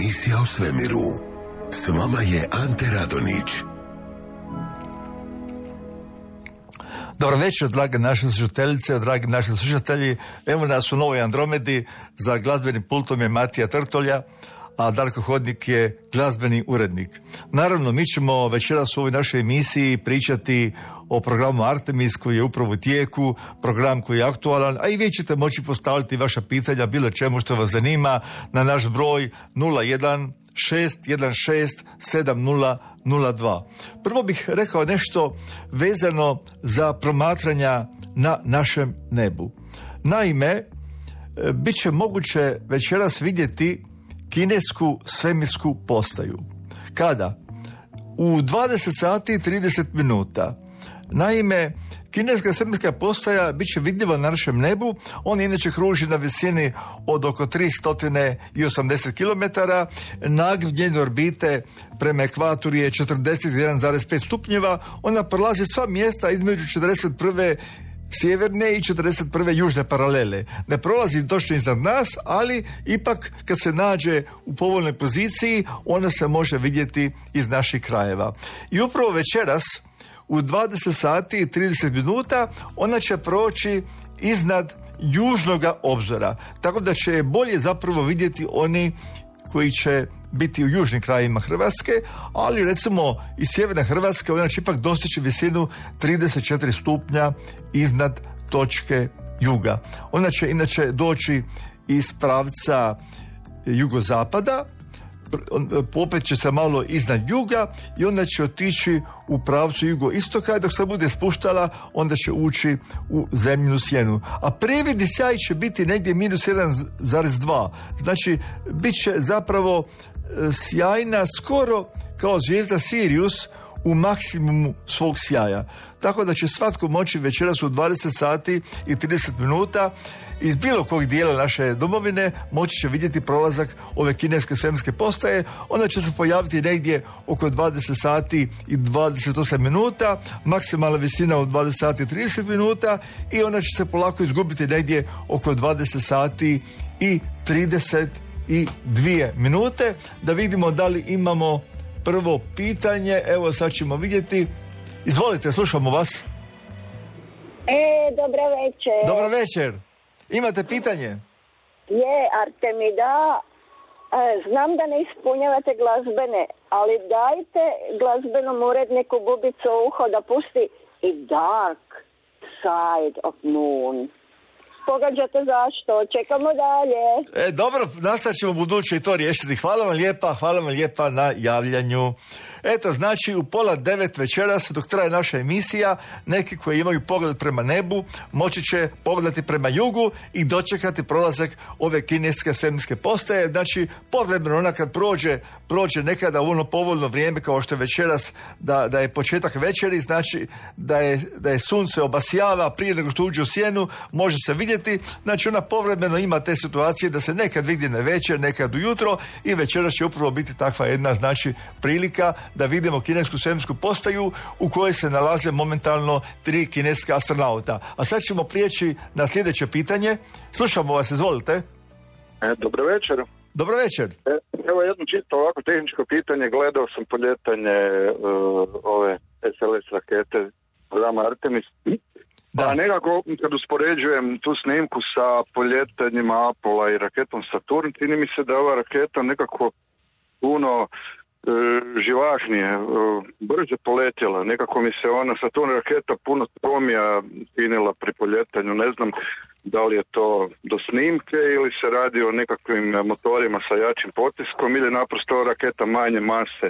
Emisija o svemiru. S vama je Ante Radonić. Dobar večer, drage naše slušateljice, dragi naši slušatelji. Evo nas u Novoj Andromedi, za glazbenim pultom je Matija Trtolja, a Darko Hodnik je glazbeni urednik. Naravno, mi ćemo večeras u ovoj našoj emisiji pričati o programu Artemis koji je upravo u tijeku, program koji je aktualan, a i vi ćete moći postaviti vaša pitanja bilo čemu što vas zanima na naš broj 01 616 7002. Prvo bih rekao nešto vezano za promatranja na našem nebu. Naime, bit će moguće večeras vidjeti kinesku svemirsku postaju. Kada? U 20 sati i 30 minuta. Naime, kineska svemirska postaja bit će vidljiva na našem nebu. On inače kruži na visini od oko 380 km. Nagiv njene orbite prema ekvatoru je 41,5 stupnjeva. Ona prolazi sva mjesta između 41. sjeverne i 41. južne paralele. Ne prolazi točno iznad nas, ali ipak kad se nađe u povoljnoj poziciji, ona se može vidjeti iz naših krajeva. I upravo večeras u 20 sati i 30 minuta ona će proći iznad južnoga obzora. Tako da će bolje zapravo vidjeti oni koji će biti u južnim krajevima Hrvatske, ali recimo iz sjeverne Hrvatske ona će ipak dostići visinu 34 stupnja iznad točke juga. Ona će inače doći iz pravca jugozapada, popet će se malo iznad juga i onda će otići u pravcu jugoistoka i dok se bude spuštala onda će ući u zemljinu sjenu. A previdni sjaj će biti negdje minus 1,2. Znači, bit će zapravo sjajna skoro kao zvijezda Sirius u maksimumu svog sjaja. Tako da će svatko moći večeras u 20 sati i 30 minuta iz bilo kog dijela naše domovine moći će vidjeti prolazak ove kineske svemirske postaje. Ona će se pojaviti negdje oko 20 sati i 28 minuta, maksimalna visina od 20 sati i 30 minuta i ona će se polako izgubiti negdje oko 20 sati i 32 minute. Da vidimo da li imamo prvo pitanje. Evo sad ćemo vidjeti. Izvolite, slušamo vas. Dobra večer. Dobra večer. Imate pitanje? Artemida, znam da ne ispunjavate glazbene, ali dajte glazbenom uredniku bubicu u uho da pusti i Dark Side of Moon. Pogađate zašto? Čekamo dalje. Dobro, nastavit ćemo buduće i to riješiti. Hvala vam lijepa na javljanju. Eto, znači u 8:30 večeras, dok traje naša emisija, neki koji imaju pogled prema nebu moći će pogledati prema jugu i dočekati prolazak ove kineske svemirske postaje. Znači, povremeno ona kad prođe nekada u ono povoljno vrijeme kao što je večeras, da je početak večeri, znači da je sunce obasjava prije nego što uđe u sjenu, može se vidjeti. Znači, ona povremeno ima te situacije da se nekad vidi na večer, nekad ujutro i večeras će upravo biti takva jedna, znači, prilika da vidimo kinesku svemirsku postaju u kojoj se nalaze momentalno 3 kineska astronauta. A sad ćemo prijeći na sljedeće pitanje. Slušamo vas, izvolite. Dobro večer. Dobro večer. Evo jedno čisto ovako tehničko pitanje. Gledao sam poljetanje ove SLS rakete programa Artemis. Da, nekako kad uspoređujem tu snimku sa poljetanjima Apola i raketom Saturn, čini mi se da je ova raketa nekako puno živahnije, brže poletjela. Nekako mi se ona Saturn raketa puno tromija činila pri poljetanju. Ne znam da li je to do snimke ili se radi o nekakvim motorima sa jačim potiskom ili naprosto raketa manje mase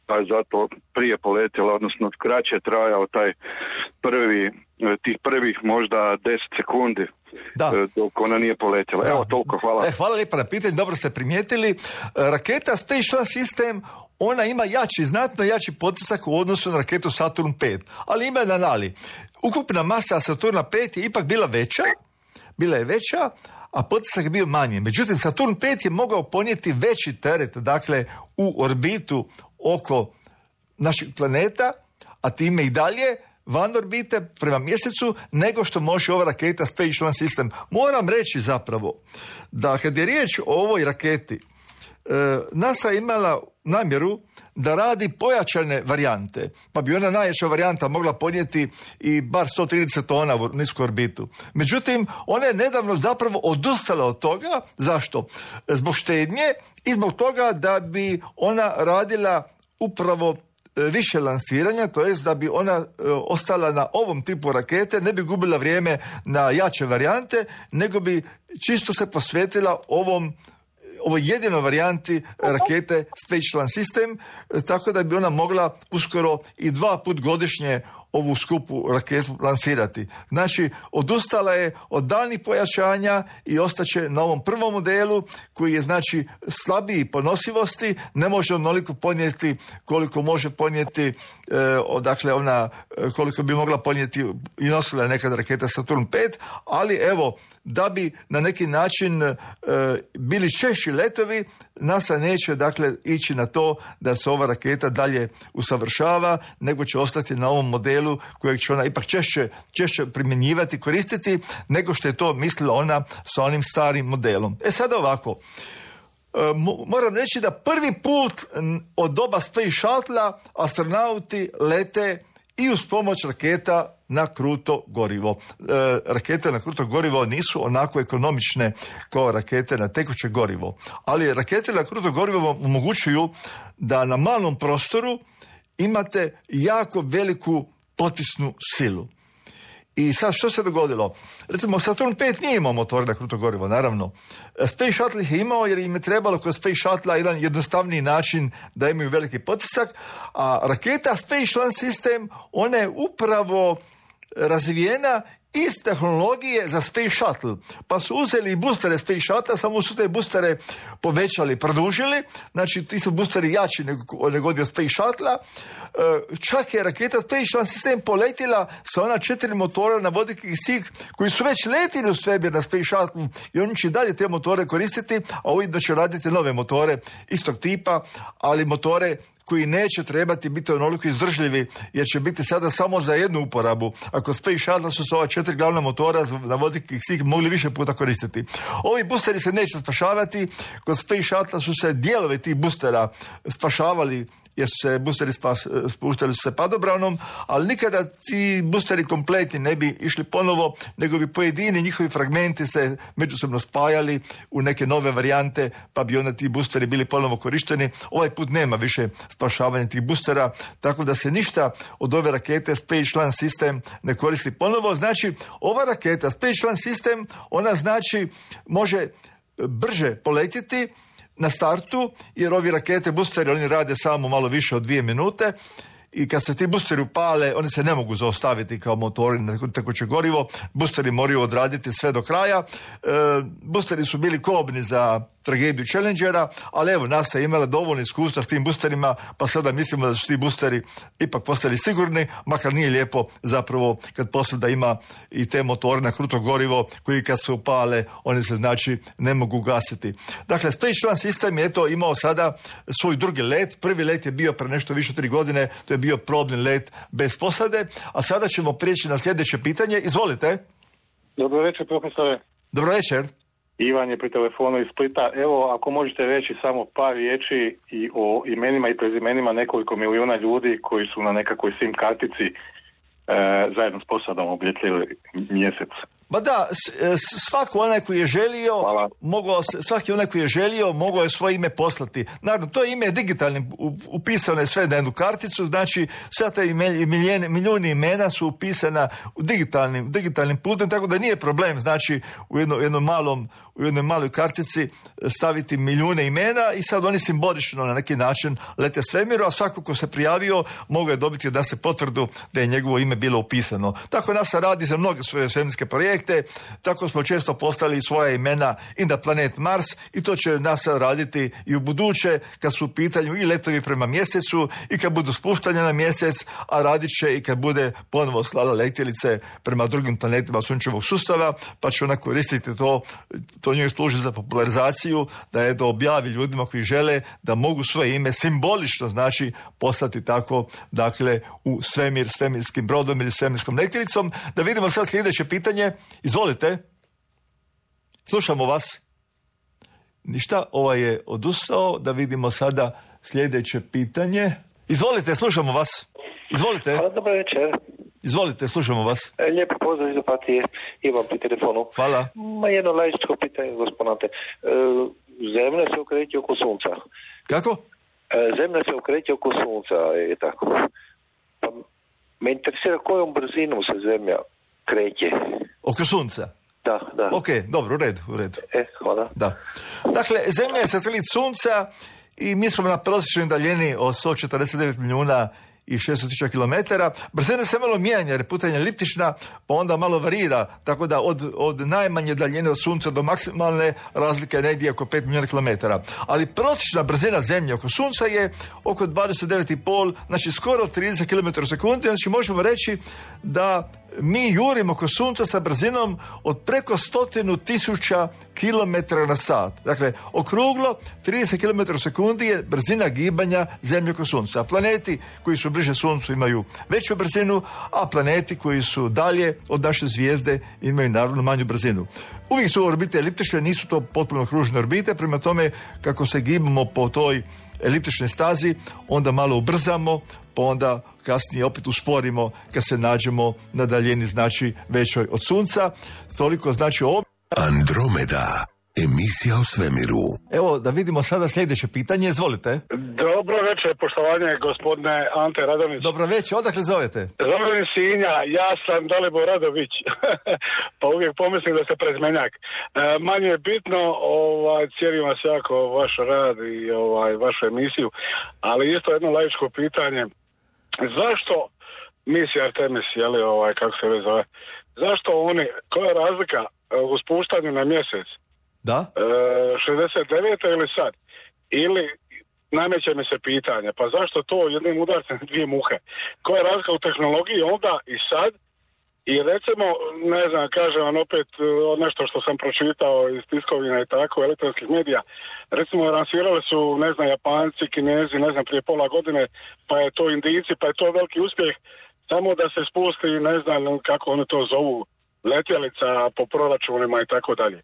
pa je zato prije poletjela, odnosno kraće je trajao tih prvih možda 10 sekundi dok ona nije poletjela. Evo, toliko, hvala. Hvala lijepa na pitanje, dobro ste primijetili. Raketa Space Launch System, ona ima znatno jači potisak u odnosu na raketu Saturn 5, ali ima jedan ali. Ukupna masa Saturna 5 je ipak bila je veća, a potisak je bio manji. Međutim, Saturn 5 je mogao ponijeti veći teret, dakle, u orbitu oko našeg planeta, a time i dalje van orbite prema mjesecu nego što može ova raketa Space Launch System. Moram reći zapravo da kad je riječ o ovoj raketi, NASA je imala namjeru da radi pojačane varijante, pa bi ona najjača varijanta mogla podnijeti i bar 130 tona u nisku orbitu. Međutim, ona je nedavno zapravo odustala od toga. Zašto? Zbog štednje i zbog toga da bi ona radila upravo više lansiranja, to jest da bi ona ostala na ovom tipu rakete, ne bi gubila vrijeme na jače varijante, nego bi čisto se posvetila ovoj jedinoj varijanti rakete Space Launch System, tako da bi ona mogla uskoro i 2 puta godišnje ovu skupu raketu lansirati. Znači, odustala je od daljnjih pojačanja i ostaće na ovom prvom modelu koji je, znači, slabiji po nosivosti, ne može onoliko podnijeti koliko može podnijeti, koliko bi mogla podnijeti i nosila nekada raketa Saturn V, ali evo, da bi na neki način bili češći letovi, NASA neće, dakle, ići na to da se ova raketa dalje usavršava, nego će ostati na ovom modelu kojeg će ona ipak češće primjenjivati, koristiti, nego što je to mislila ona sa onim starim modelom. Sada ovako, moram reći da prvi put od doba Space Shuttle astronauti lete i uz pomoć raketa na kruto gorivo. Rakete na kruto gorivo nisu onako ekonomične kao rakete na tekuće gorivo, ali rakete na kruto gorivo omogućuju da na malom prostoru imate jako veliku potisnu silu. I sad što se dogodilo? Recimo, Saturn V nije imao motore na kruto gorivo, naravno. Space Shuttle ih je imao jer im je trebalo kod Space Shuttle jedan jednostavniji način da imaju veliki potisak, a raketa Space Launch System, ona je upravo razvijena iz tehnologije za Space Shuttle. Pa su uzeli i boostere Space Shuttle, samo su te boostere povećali, produžili. Znači, ti su boosteri jači nego od Space Shuttle. Čak je raketa Space Launch System poletila sa ona 4 motora na vodik i kisik koji su već letili u svemir na Space Shuttle i oni će dalje te motore koristiti, a ujedno će raditi nove motore istog tipa, ali motore koji neće trebati biti onoliko izdržljivi, jer će biti sada samo za jednu uporabu. Ako Space Shuttle su se ova 4 glavna motora na vodik i kisik mogli više puta koristiti. Ovi boosteri se neće spašavati. Kod Space Shuttle su se dijelovi tih boostera spašavali jer su se boosteri spuštali se padobranom, ali nikada ti boosteri kompletni ne bi išli ponovo, nego bi pojedini njihovi fragmenti se međusobno spajali u neke nove varijante, pa bi onda ti boosteri bili ponovo korišteni. Ovaj put nema više spašavanja tih boostera, tako da se ništa od ove rakete Space Launch System ne koristi ponovo. Znači, ova raketa Space Launch System, ona znači može brže poletiti na startu, jer ovi rakete boosteri, oni rade samo malo više od 2 minute i kad se ti boosteri upale, oni se ne mogu zaustaviti kao motori na tekuće gorivo. Boosteri moraju odraditi sve do kraja. Boosteri su bili kobni za tragediju Challengera, ali evo, NASA je imala dovoljno iskustva s tim boosterima, pa sada mislimo da su ti boosteri ipak postali sigurni, makar nije lijepo zapravo kad posada ima i te motore na kruto gorivo koji kad se upale, oni se znači ne mogu gasiti. Dakle, Space Launch System je to imao sada svoj drugi let. Prvi let je bio pre nešto više 3 godine, to je bio probni let bez posade, a sada ćemo prijeći na sljedeće pitanje. Izvolite. Dobro večer, profesore. Dobro večer. Ivan je pri telefonu iz Splita. Evo, ako možete reći samo par riječi i o imenima i prezimenima nekoliko milijuna ljudi koji su na nekakvoj SIM kartici zajedno s posadom obljetljili mjesec. Ba da, svaki onaj koji je želio mogao je svoje ime poslati. Naravno, to ime je digitalnim, upisano je sve na jednu karticu, znači sve te milijuni imena su upisana u digitalnim putem, tako da nije problem, znači u jednoj maloj kartici staviti milijune imena i sad oni simbolično na neki način lete svemiru, a svako ko se prijavio mogao je dobiti da se potvrdu da je njegovo ime bilo upisano. Tako NASA radi za mnoge svoje svemirske projekte, tako smo često postavili svoja imena i na planet Mars i to će NASA raditi i u buduće kad su u pitanju i letovi prema mjesecu i kad budu spuštanja na mjesec, a radit će i kad bude ponovo slala letjelice prema drugim planetima sunčevog sustava, pa će ona koristiti to njoj služi za popularizaciju, da objavi ljudima koji žele da mogu svoje ime simbolično znači poslati tako, dakle, u svemir, svemirskim brodom ili svemirskom letjelicom. Da vidimo sad sljedeće pitanje. Izvolite. Slušamo vas. Ništa, je odustao. Da vidimo sada sljedeće pitanje. Izvolite, slušamo vas. Izvolite. Hvala, dobar večer. Izvolite, slušamo vas. Lijepo pozdrav iz Opatije, imam pri telefonu. Hvala. Jedno laičko pitanje, gospodine. Zemlja se okreće oko sunca. Kako? Zemlja se okreće oko sunca, je tako. Pa me interesira kojom brzinom se zemlja kreće. Oko sunca? Da. Ok, dobro, u redu. Hvala. Da. Dakle, zemlja je satelit sunca i mi smo na prosječnoj daljini od 149 milijuna i 600.000 km. Brzina se malo mijenja jer je putanja eliptična, pa onda malo varira, tako da od najmanje daljine od sunca do maksimalne razlika je negdje oko 5 milijuna km. Ali prosječna brzina zemlje oko sunca je oko 29,5, znači skoro 30 km u sekundi, znači možemo reći da mi jurimo oko sunca sa brzinom od preko 100.000 km na sat. Dakle, okruglo 30 km u sekundi je brzina gibanja zemlje oko sunca. Planeti koji su bliže suncu imaju veću brzinu, a planeti koji su dalje od naše zvijezde imaju naravno manju brzinu. Uvijek su orbite eliptične, nisu to potpuno kružne orbite, prema tome kako se gibamo po toj eliptičnoj stazi, onda malo ubrzamo, pa onda kasnije opet usporimo kad se nađemo na daljini, znači većoj od sunca. Toliko znači ovo. Andromeda, emisija o svemiru. Evo da vidimo sada sljedeće pitanje, izvolite. Dobro večer, poštovanje gospodine Ante Radović. Dobro večer, odakle zovete? Zovem Sinja, ja sam Dalibor Radović, pa uvijek pomislim da ste prezmenjak. Manje je bitno, cijenim vas jako vaš rad i vašu emisiju, ali isto jedno laičko pitanje. Zašto misija Artemis, kako se već zove, zašto oni, koja je razlika u spuštanju na mjesec? Da? 69. ili sad? Ili nameće mi se pitanje, pa zašto to jednim udarcem dvije muhe? Koja je razlika u tehnologiji onda i sad? I recimo, ne znam, kažem vam opet nešto što sam pročitao iz tiskovina i tako, elektronskih medija. Recimo, lansirali su, ne znam, Japanci, Kinezi, ne znam, prije pola godine, pa je to Indijci, pa je to veliki uspjeh, samo da se spusti, ne znam kako oni to zovu, letjelica po proračunima i tako dalje.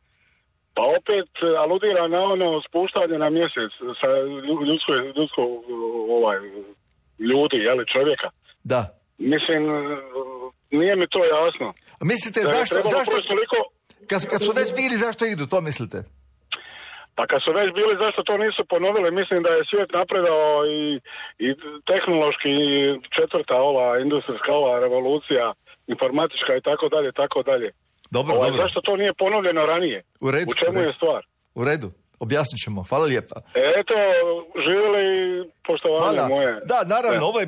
Pa opet aludira na ono spuštanje na mjesec sa ljudi, čovjeka. Da. Mislim, nije mi to jasno. Mislite, zašto kad su već bili, zašto idu, to mislite? Pa kad su već bili, zašto to nisu ponovili? Mislim da je svijet napredao i tehnološki, i četvrta industrijska revolucija, informatička i tako dalje. Dobro. Zašto to nije ponovljeno ranije? U čemu je stvar? U redu. Objasnit ćemo. Hvala lijepa. Eto, živjeli poštovanje moje. Da, naravno, ovo je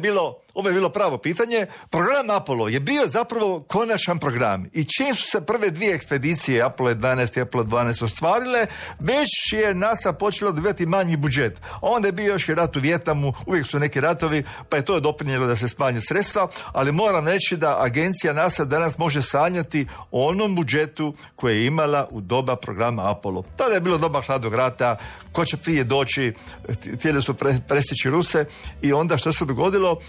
bilo pravo pitanje. Program Apollo je bio zapravo konačan program. I čim su se prve dvije ekspedicije, Apollo 11 i Apollo 12, ostvarile, već je NASA počelo dobivati manji budžet. Onda je bio još i rat u Vijetnamu, uvijek su neki ratovi, pa je to doprinijelo da se smanje sredstva, ali moram reći da agencija NASA danas može sanjati o onom budžetu koje je imala u doba programa Apollo. Tada je bilo doba hladnog rata, ko će prije doći, htjeli su prestići Ruse i onda što se dogodilo,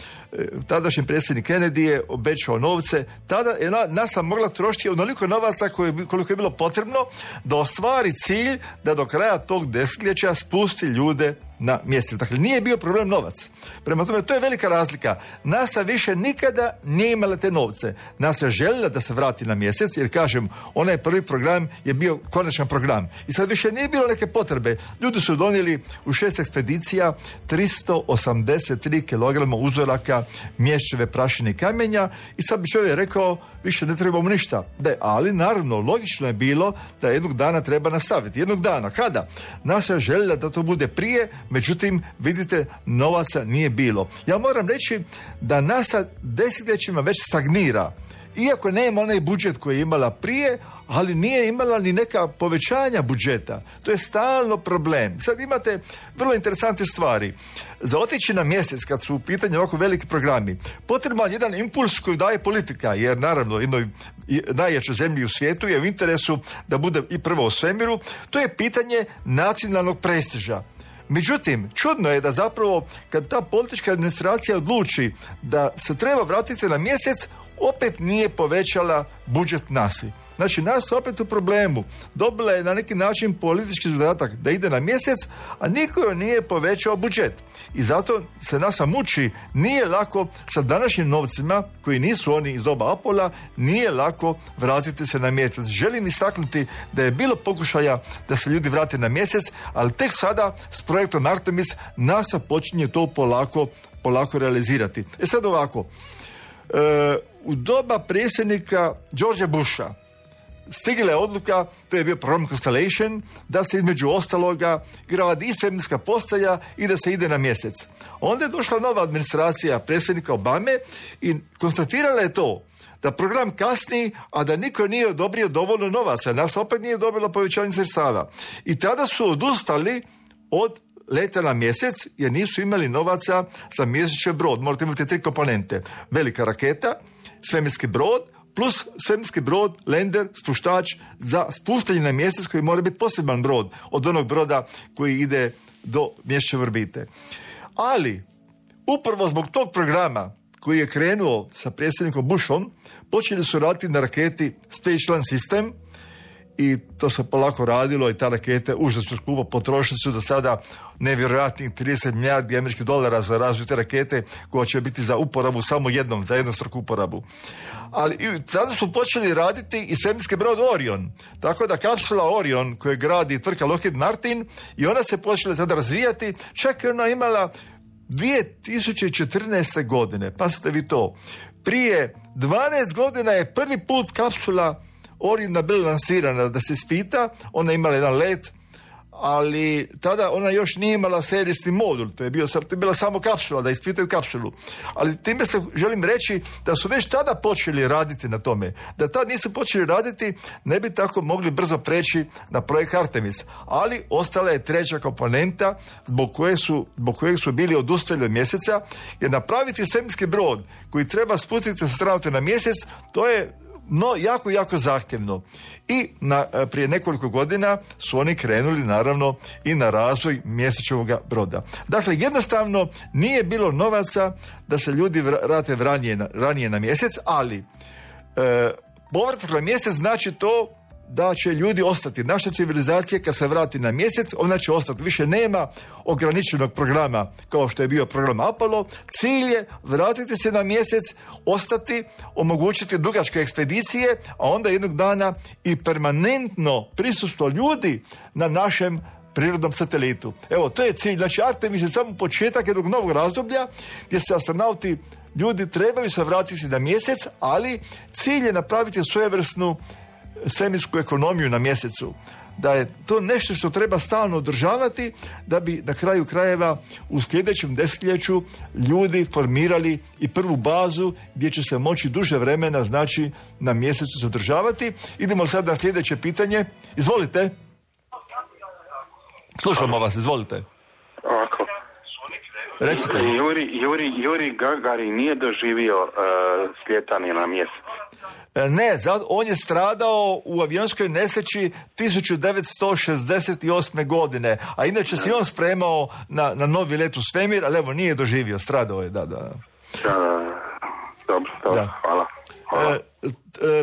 tadašnji predsjednik Kennedy je obećao novce, tada je NASA mogla trošiti onoliko novaca koliko je bilo potrebno da ostvari cilj da do kraja tog desetljeća spusti ljude na mjesec. Dakle, nije bio problem novac. Prema tome, to je velika razlika. NASA više nikada nije imala te novce. NASA je željela da se vrati na mjesec, jer kažem, onaj prvi program je bio konačan program. I sad više nije bilo neke potrebe. Ljudi su donijeli u 6 ekspedicija 383 kg uzoraka mješćeve, prašine i kamenja i sad bi čovjek rekao, više ne trebamo ništa. Da, ali naravno, logično je bilo da jednog dana treba nastaviti. Jednog dana. Kada? NASA je željela da to bude prije, međutim, vidite, novaca nije bilo. Ja moram reći da NASA desetljećima već stagnira. Iako nema onaj budžet koji je imala prije, ali nije imala ni neka povećanja budžeta. To je stalno problem. Sad imate vrlo interesantne stvari. Za otići na mjesec, kad su u pitanju ovako veliki programi, potreban jedan impuls koji daje politika, jer naravno jednoj najjačoj zemlji u svijetu je u interesu da bude i prvo u svemiru. To je pitanje nacionalnog prestiža. Međutim, čudno je da zapravo kad ta politička administracija odluči da se treba vratiti na mjesec, opet nije povećala budžet NASA. Znači, nas opet u problemu. Dobila je na neki način politički zadatak da ide na mjesec, a niko joj nije povećao budžet. I zato se NASA muči, nije lako sa današnjim novcima, koji nisu oni iz doba Apola, nije lako vratiti se na mjesec. Želim istaknuti da je bilo pokušaja da se ljudi vrate na mjesec, ali tek sada s projektom Artemis NASA počinje to polako realizirati. Sad ovako, u doba predsjednika Georgea Busha stigla je odluka, to je bio program Constellation, da se između ostaloga gradi i svemirska postaja i da se ide na mjesec. Onda je došla nova administracija predsjednika Obame i konstatirala je to, da program kasni, a da niko nije odobrio dovoljno novaca. Nas opet nije dobilo povećanje sredstava. I tada su odustali od leta na mjesec, jer nisu imali novaca za mjesečni brod. Morate imati 3 komponente. Velika raketa, svemirski brod, plus svemirski brod, lander, spuštač za spuštanje na mjesec, koji mora biti poseban brod od onog broda koji ide do mjesečne orbite. Ali, upravo zbog tog programa koji je krenuo sa predsjednikom Bushom, počeli su raditi na raketi Space Launch System i to se polako radilo i ta rakete užasno skupo, potrošili su do sada nevjerojatnih 30 milijardi američkih dolara za različite rakete koja će biti za uporabu samo jednom, za jednostruku uporabu. Ali tada su počeli raditi i svemirski brod Orion. Tako da kapsula Orion koju gradi tvrtka Lockheed Martin i ona se počela tada razvijati, čak je ona imala 2014. godine, pazite vi to, prije 12 godina je prvi put kapsula Oriona bila lansirana da se ispita, ona je imala jedan let, ali tada ona još nije imala serijski modul, to je bila samo kapsula, da ispitaju kapsulu. Ali time se želim reći da su već tada počeli raditi na tome. Da tad nisu počeli raditi, ne bi tako mogli brzo preći na projekt Artemis. Ali ostala je treća komponenta zbog kojeg su bili odustali od mjeseca, jer napraviti svemirski brod koji treba spustiti astronauta na mjesec, to je jako zahtjevno. I prije nekoliko godina su oni krenuli naravno i na razvoj mjesečnog broda. Dakle, jednostavno nije bilo novaca da se ljudi vrate ranije na mjesec, ali povratak na mjesec znači to da će ljudi ostati. Naša civilizacija kad se vrati na mjesec, ona će ostati. Više nema ograničenog programa kao što je bio program Apollo. Cilj je vratiti se na mjesec, ostati, omogućiti dugačke ekspedicije, a onda jednog dana i permanentno prisustvo ljudi na našem prirodnom satelitu. Evo, to je cilj. Znači, Artemis je samo početak jednog novog razdoblja gdje se astronauti, ljudi trebaju se vratiti na mjesec, ali cilj je napraviti svojevrsnu svemirsku ekonomiju na mjesecu. Da je to nešto što treba stalno održavati da bi na kraju krajeva u sljedećem desetljeću ljudi formirali i prvu bazu gdje će se moći duže vremena, znači, na mjesecu zadržavati. Idemo sad na sljedeće pitanje. Izvolite. Slušamo vas, izvolite. Ovako. Recite. Juri Gagarin nije doživio slijetanje na mjesec. Ne, on je stradao u avionskoj nesreći 1968. godine, a inače se on spremao na novi let u svemir, ali evo nije doživio, stradao je, da. Dobro, hvala.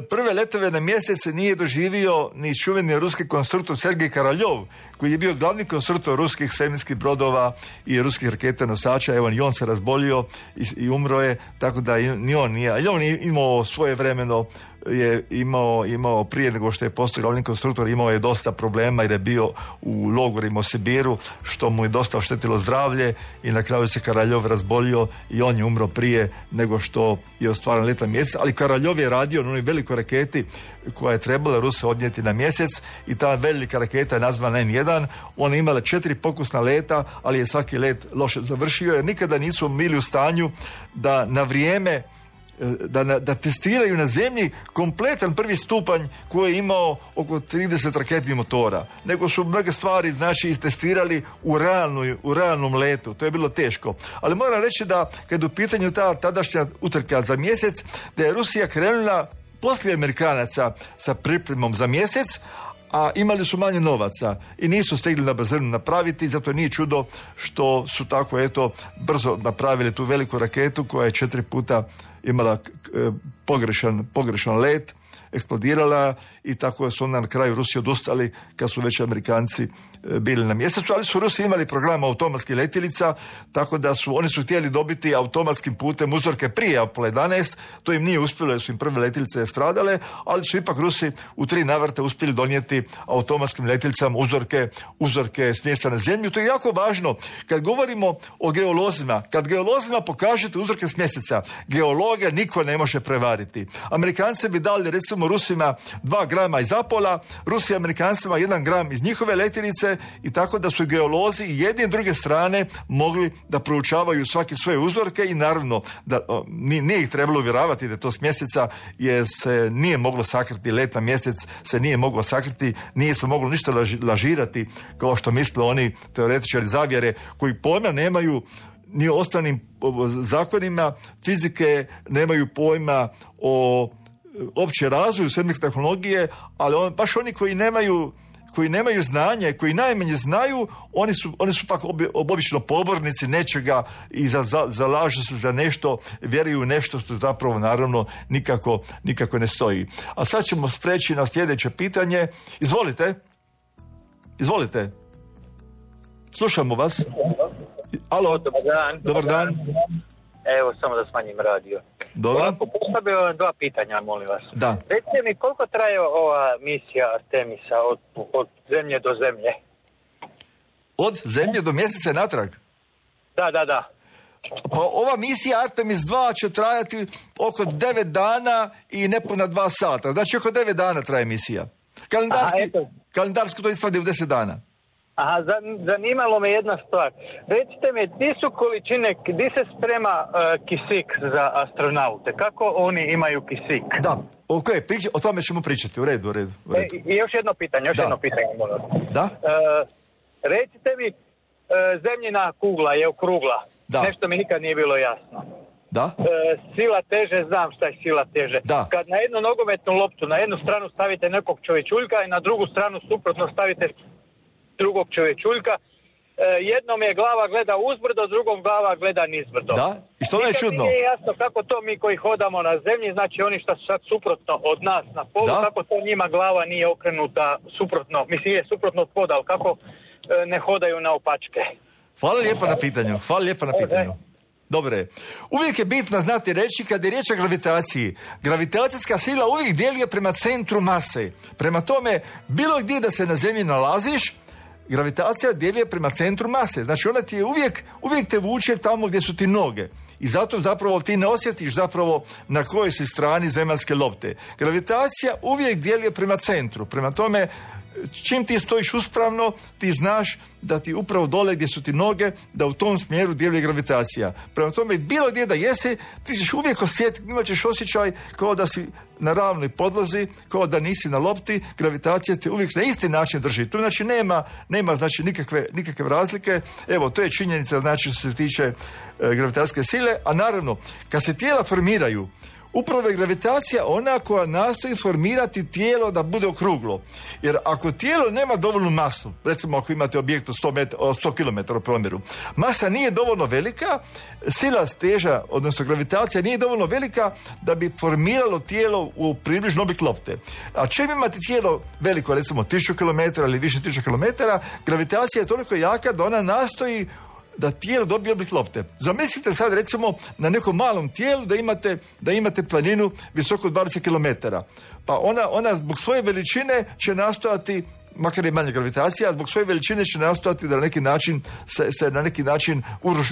Prve letove na mjesec nije doživio ni čuveni ruski konstruktor Sergej Karaljov, koji je bio glavni konstruktor ruskih svemirskih brodova i ruskih raketa nosača. Evo, i on se razbolio i umro je, tako da ni on nije. Ali on je imao svoje vremeno, je imao prije nego što je postao glavni konstruktor, imao je dosta problema jer je bio u logorima u Sibiru, što mu je dosta oštetilo zdravlje i na kraju se Karaljov razbolio i on je umro prije nego što je ostvaren let na mjesec. Ali Karaljov je radio na onoj velikoj raketi koja je trebala Ruse odnijeti na mjesec i ta velika raketa je nazvana N1. Ona je imala 4 pokusna leta, ali je svaki let loše završio jer nikada nisu bili u stanju da na vrijeme da testiraju na zemlji kompletan prvi stupanj koji je imao oko 30 raketnih motora, nego su mnoge stvari, znači, istestirali u realnom letu. To je bilo teško. Ali moram reći da kad u pitanju ta tadašnja utrka za mjesec, da je Rusija krenula poslije Amerikanaca sa pripremom za mjesec, a imali su manje novaca i nisu stigli na brzinu napraviti, zato nije čudo što su tako brzo napravili tu veliku raketu koja je 4 puta imala pogrešan let eksplodirala i tako su onda na kraju Rusi odustali kad su već Amerikanci bili na mjesecu, ali su Rusi imali program automatskih letjelica, tako da oni su htjeli dobiti automatskim putem uzorke prije Apollo 11, to im nije uspjelo jer su im prve letjelice stradale, ali su ipak Rusi u 3 navrata uspjeli donijeti automatskim letjelicama uzorke smjesa na zemlju. To je jako važno kad govorimo o geolozima. Kad geolozima pokažete uzorke s mjeseca, geologa niko ne može prevariti. Amerikanci bi dali recimo Rusima 2 grama iz Apola, Rusi Amerikancima 1 gram iz njihove letjelice i tako da su geolozi i jedne i druge strane mogli da proučavaju svake svoje uzorke i naravno da nije ih trebalo uvjeravati da to s mjeseca jer se nije moglo sakriti, let na mjesec se nije moglo sakriti, nije se moglo ništa lažirati kao što misle oni teoretičari zavjere koji pojma nemaju ni o ostalim zakonima fizike, nemaju pojma o opće razvoju svemirske tehnologije, ali baš oni koji nemaju znanje, koji najmanje znaju, oni su pak obično pobornici nečega i zalažu se za nešto, vjeruju nešto što zapravo naravno nikako ne stoji. A sad ćemo preći na sljedeće pitanje. Izvolite. Slušamo vas. Alo. Dobar dan. Evo, samo da smanjim radio. Dobro. Ovako, postavio vam 2 pitanja, molim vas. Da. Recite mi, koliko traje ova misija Artemisa od zemlje do zemlje? Od zemlje do mjeseca natrag? Da. Pa ova misija Artemis 2 će trajati oko 9 dana i nepuna 2 sata. Znači oko 9 dana traje misija. Kalendarski to ispadne u 10 dana. Aha, zanimalo me jedna stvar. Recite mi, di su količine, di se sprema kisik za astronaute? Kako oni imaju kisik? Da, o tome ćemo pričati. U redu. I još jedno pitanje, molim. Da? Recite mi, zemljina kugla je okrugla. Da. Nešto mi nikad nije bilo jasno. Da? Sila teže, znam šta je sila teže. Da. Kad na jednu nogometnu loptu, na jednu stranu stavite nekog čovječuljka i na drugu stranu suprotno stavite drugog čovječuljka, jednom je glava gleda uzbrdo, drugom glava gleda nizbrdo. Da? I što je čudno? Nije jasno kako to mi koji hodamo na zemlji, znači oni što su sad suprotno od nas na polu, kako to njima glava nije okrenuta suprotno, mislim je suprotno od poda, ali kako ne hodaju na opačke. Hvala lijepo na pitanju. Dobre. Uvijek je bitno znati reći kad je riječ o gravitaciji. Gravitacijska sila uvijek djeluje prema centru mase. Prema tome, bilo gdje da se na zemlji nalaziš, gravitacija djeluje prema centru mase. Znači ona ti je uvijek te vuče tamo gdje su ti noge. I zato zapravo ti ne osjetiš zapravo na kojoj si strani zemaljske lopte. Gravitacija uvijek djeluje prema centru. Prema tome, čim ti stojiš uspravno, ti znaš da ti upravo dole gdje su ti noge, da u tom smjeru djeluje gravitacija. Prema tome, bilo gdje da jesi, ti ćeš uvijek osjetiti, imat ćeš osjećaj kao da si na ravnoj podlozi, kao da nisi na lopti, gravitacija te uvijek na isti način drži. Tu znači nema znači nikakve razlike. Evo, to je činjenica znači što se tiče gravitacijske sile, a naravno, kad se tijela formiraju, upravo je gravitacija ona koja nastoji formirati tijelo da bude okruglo. Jer ako tijelo nema dovoljnu masu, recimo ako imate objekt od 100 km u promjeru, masa nije dovoljno velika, sila teža, odnosno gravitacija nije dovoljno velika da bi formiralo tijelo u približno oblik lopte. A čim imate tijelo veliko, recimo 1000 km ili više 1000 km, gravitacija je toliko jaka da ona nastoji da tijelo dobije oblik lopte. Zamislite sad recimo na nekom malom tijelu da imate planinu visoko 20 km. Pa ona zbog svoje veličine će nastojati, makar je manja gravitacija, zbog svoje veličine će nastojati da na neki način se na neki način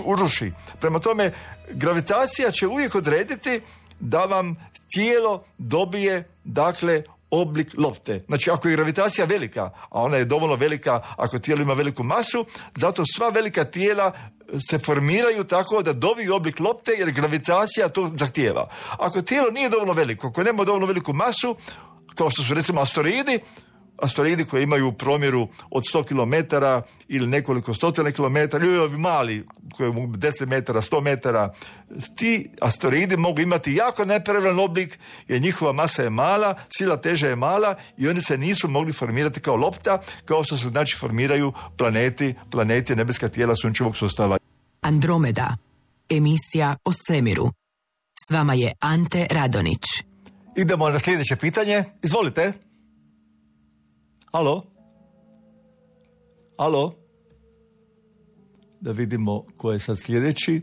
uruši. Prema tome, gravitacija će uvijek odrediti da vam tijelo dobije, dakle, oblik lopte. Znači, ako je gravitacija velika, a ona je dovoljno velika ako tijelo ima veliku masu, zato sva velika tijela se formiraju tako da dobiju oblik lopte jer gravitacija to zahtijeva. Ako tijelo nije dovoljno veliko, ako nema dovoljno veliku masu, kao što su recimo asteroidi koji imaju u promjeru od 100 km ili nekoliko stotina kilometara, ili ovi mali koji mogu 10 metara, 100 metara, ti asteroidi mogu imati jako nepravilan oblik jer njihova masa je mala, sila teže je mala i oni se nisu mogli formirati kao lopta, kao što se znači formiraju planeti nebeska tijela sunčevog sustava. Andromeda, emisija o svemiru. S vama je Ante Radonić. Idemo na sljedeće pitanje. Izvolite. Alo? Da vidimo ko je sad sljedeći.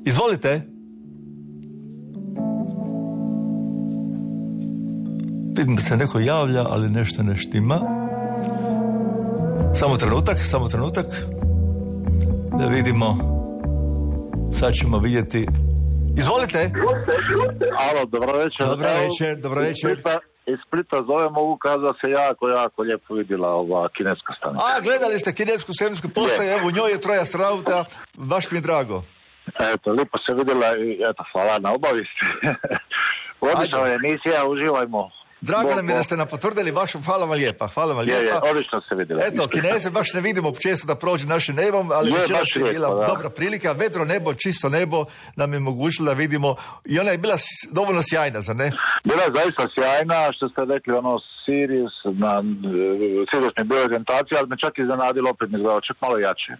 Izvolite. Vidim da se neko javlja, ali nešto ne štima. Samo trenutak. Da vidimo. Sad ćemo vidjeti. Izvolite. Alo, dobro večer. Iz Splita zovem, mogu kazati da se jako lijepo vidjela ova kineska stanica. Gledali ste kinesku svemirsku postaju, evo u njoj je 3 astronauta, baš mi je drago. Eto, lijepo se vidjela i eto, hvala na obavijesti. Odlična je emisija, uživajmo. Drago nam je da ste nam potvrdili vašu, hvala vam lijepa. Je, odlično se vidjela. Eto, Kineze baš ne vidimo često da prođe našim nebom, ali večeras je bila dobra prilika. Vedro nebo, čisto nebo nam je mogućilo da vidimo i ona je bila dovoljno sjajna, zar ne? Bila je zaista sjajna, što ste rekli, Sirius mi bio orijentacija, ali me čak iznenadilo, opet mi gledao čak malo jače.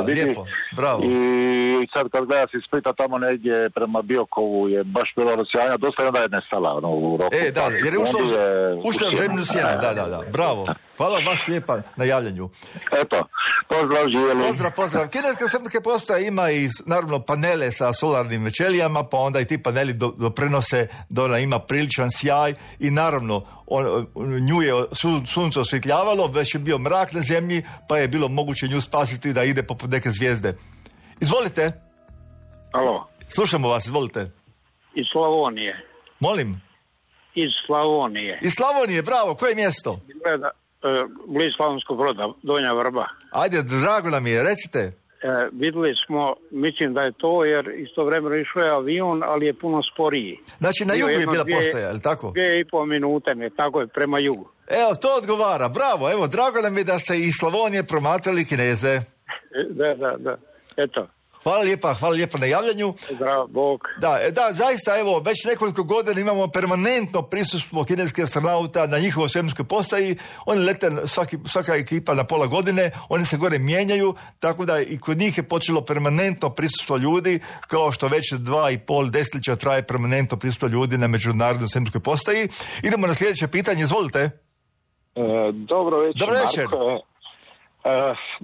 Lijepo, bravo. I sad kad gleda se iz Splita tamo negdje prema Biokovu je baš bilo sjajna, dosta je onda je nestala u roku. Jer je ušla u zemlju sjena, da, bravo. Hvala baš lijepa na javljanju. Eto, pozdrav, živjeli. Pozdrav. Kineska svemirska postaja ima i naravno panele sa solarnim ćelijama, pa onda i ti paneli doprinose da ona ima priličan sjaj i naravno nju je sunce osvjetljavalo, već je bio mrak na zemlji, pa je bilo moguće nju spasiti da ide poput neke zvijezde. Izvolite. Alo. Slušamo vas, izvolite. Iz Slavonije. Molim? Iz Slavonije. Iz Slavonije, bravo. Koje mjesto? Bliz Slavonskog Broda, Donja Vrba. Ajde, drago nam je, recite. Vidjeli smo, mislim da je to, jer istovremeno išao je avion, ali je puno sporiji. Znači na jugu je bila postaja, je li tako? 2,5 minute tako je, prema jugu. Evo, to odgovara, bravo, evo, drago nam je da ste iz Slavonije promatrali Kineze. Da, eto. Hvala lijepa na javljanju. Zdravo, Bog. Da, zaista, evo, već nekoliko godina imamo permanentno prisustvo kineskih astronauta na njihovoj svemirskoj postaji. Oni lete svaka ekipa na pola godine, oni se gore mijenjaju, tako da i kod njih je počelo permanentno prisustvo ljudi, kao što već 2,5 desetljeća traje permanentno prisustvo ljudi na međunarodnoj svemirskoj postaji. Idemo na sljedeće pitanje, izvolite. Dobro večer. Marko.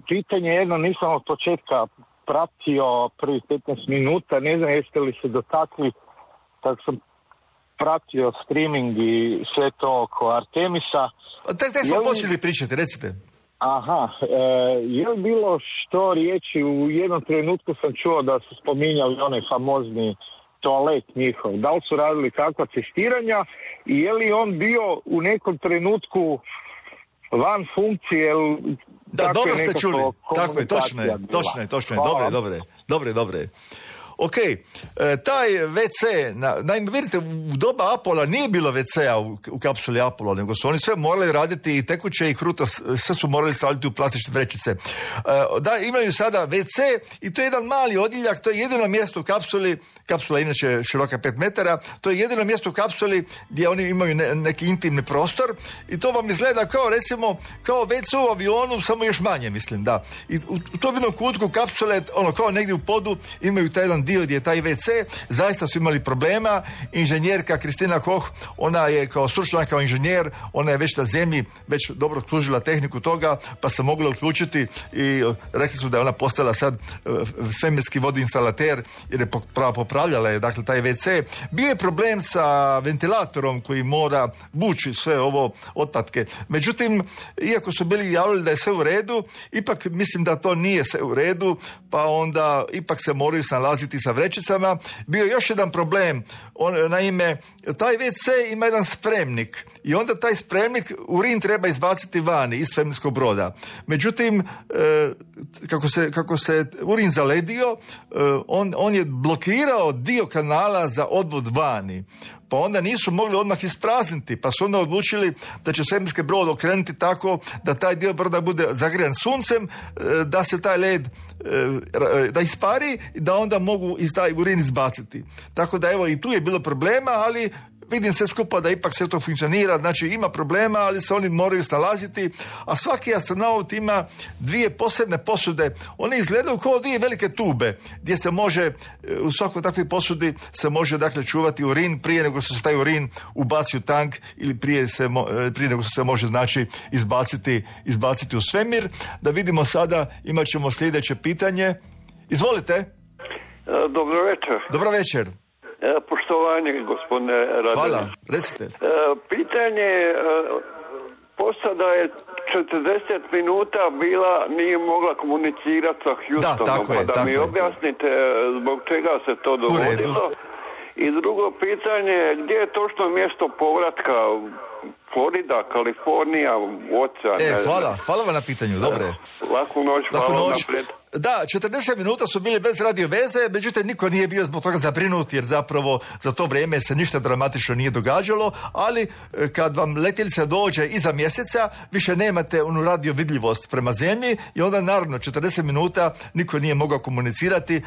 Pitanje jedno, nisam od početka pratio prvih 15 minuta, ne znam jeste li se dotakli, tako sam pratio streaming i sve to oko Artemisa. Tek smo počeli pričati, recite. Je li bilo što riječi, u jednom trenutku sam čuo da su spominjali onaj famozni toalet njihov, da li su radili kakva testiranja i je li on bio u nekom trenutku van funkcije, da, dobro ste čuli. Tako je, točno je. Dobre. Ok, taj WC, naime vidite, u doba Apola nije bilo WC-a u kapsuli Apola, nego su oni sve morali raditi i tekuće i kruto, sve su morali staviti u plastične vrećice. Da, imaju sada WC i to je jedan mali odjeljak, to je jedino mjesto u kapsuli, kapsula je inače široka 5 metara, to je jedino mjesto u kapsuli gdje oni imaju neki intimni prostor i to vam izgleda kao recimo, kao WC u avionu, samo još manje, mislim, da. I u tom jednom kutku kapsule, kao negdje u podu, imaju taj jedan dio gdje je taj WC, zaista su imali problema. Inženjerka Kristina Koch, ona je kao stručnjak, kao inženjer, ona je već na zemlji već dobro služila tehniku toga, pa se mogla uključiti i rekli su da je ona postala sad svemirski vodoinstalater jer je popravljala je, dakle, taj WC. Bio je problem sa ventilatorom koji mora vući sve ovo otpadke. Međutim, iako su bili javili da je sve u redu, ipak mislim da to nije sve u redu, pa onda ipak se moraju snalaziti sa vrećicama. Bio je još jedan problem, naime, taj WC ima jedan spremnik i onda taj spremnik urin treba izbaciti vani iz svemirskog broda. Međutim, kako se urin zaledio, on je blokirao dio kanala za odvod vani. Pa onda nisu mogli odmah isprazniti, pa su onda odlučili da će svemirski brod okrenuti tako da taj dio broda bude zagrijan suncem, da se taj led da ispari i da onda mogu taj urin izbaciti. Tako da evo i tu je bilo problema, ali vidim sve skupa da ipak sve to funkcionira, znači ima problema, ali se oni moraju snalaziti, a svaki astronaut ima 2 posebne posude, one izgledaju kao 2 velike tube, gdje se može, u svakoj takvoj posudi se može dakle čuvati urin prije nego što se taj urin ubaci u tank ili prije nego što se može znači izbaciti u svemir. Da vidimo sada, imat ćemo sljedeće pitanje. Izvolite. Dobro večer. Dobro večer. Poštovanje, gospodine Radonjić. Hvala, recite. Pitanje, posada je 40 minuta nije mogla komunicirati sa Houstonom, pa mi objasnite zbog čega se to dogodilo. I drugo pitanje, gdje je točno mjesto povratka? Florida, Kalifornija, ocean. Hvala vam na pitanju, dobre. Laku noć, hvala naprijed. Da, 40 minuta su bili bez radio veze, međutim niko nije bio zbog toga zabrinut, jer zapravo za to vrijeme se ništa dramatično nije događalo, ali kad vam letjelica dođe iza mjeseca, više nemate onu radio vidljivost prema zemlji i onda naravno 40 minuta niko nije mogao komunicirati,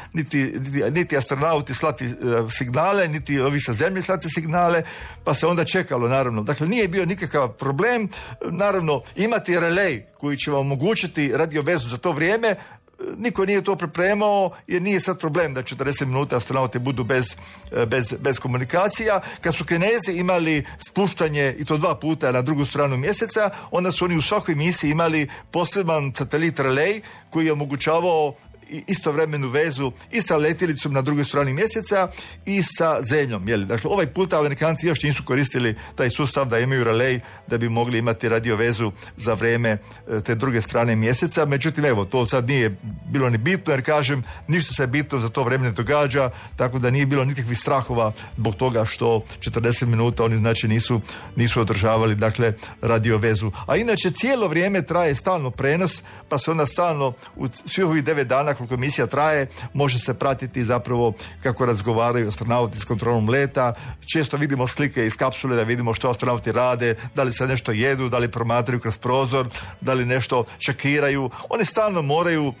niti astronauti slati signale, niti ovi sa zemlje slati signale, pa se onda čekalo naravno. Dakle, nije bio nikakav problem, naravno imati relej koji će vam omogućiti radio vezu za to vrijeme. Niko nije to pripremao jer nije sad problem da 40 minuta astronauti budu bez komunikacija. Kad su Kinezi imali spuštanje i to 2 puta na drugu stranu mjeseca, onda su oni u svakoj misiji imali poseban satelit relej koji je omogućavao istovremenu vezu i sa letjelicom na drugoj strani mjeseca i sa zemljom. Dakle, ovaj puta Amerikanci još nisu koristili taj sustav da imaju relej da bi mogli imati radio vezu za vrijeme te druge strane mjeseca. Međutim, evo, to sad nije bilo ni bitno, jer kažem, ništa se bitno za to vrijeme ne događa, tako da nije bilo nikakvih strahova zbog toga što 40 minuta oni znači nisu održavali dakle radio vezu. A inače cijelo vrijeme traje stalno prenos, pa se onda stalno u svih ovih 9 dana koliko misija traje, može se pratiti zapravo kako razgovaraju astronauti s kontrolom leta. Često vidimo slike iz kapsule da vidimo što astronauti rade, da li se nešto jedu, da li promatraju kroz prozor, da li nešto čekiraju. Oni stalno moraju,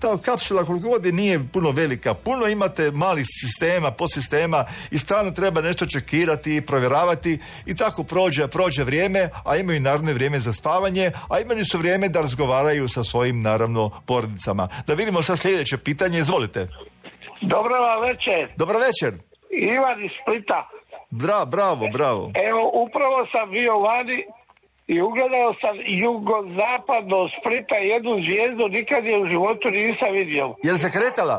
ta kapsula koliko god nije puno velika, puno imate malih sistema, podsistema i stalno treba nešto čekirati i provjeravati i tako prođe vrijeme, a imaju naravno vrijeme za spavanje, a imali su vrijeme da razgovaraju sa svojim naravno porodicama. Da vidimo sad sljedeće pitanje, izvolite. Dobro večer. Dobro večer. Ivan iz Splita. Bravo. Evo, upravo sam bio vani i ugledao sam jugozapadno Splita jednu zvijezdu, nikad je u životu nisam vidio. Je li se kretala?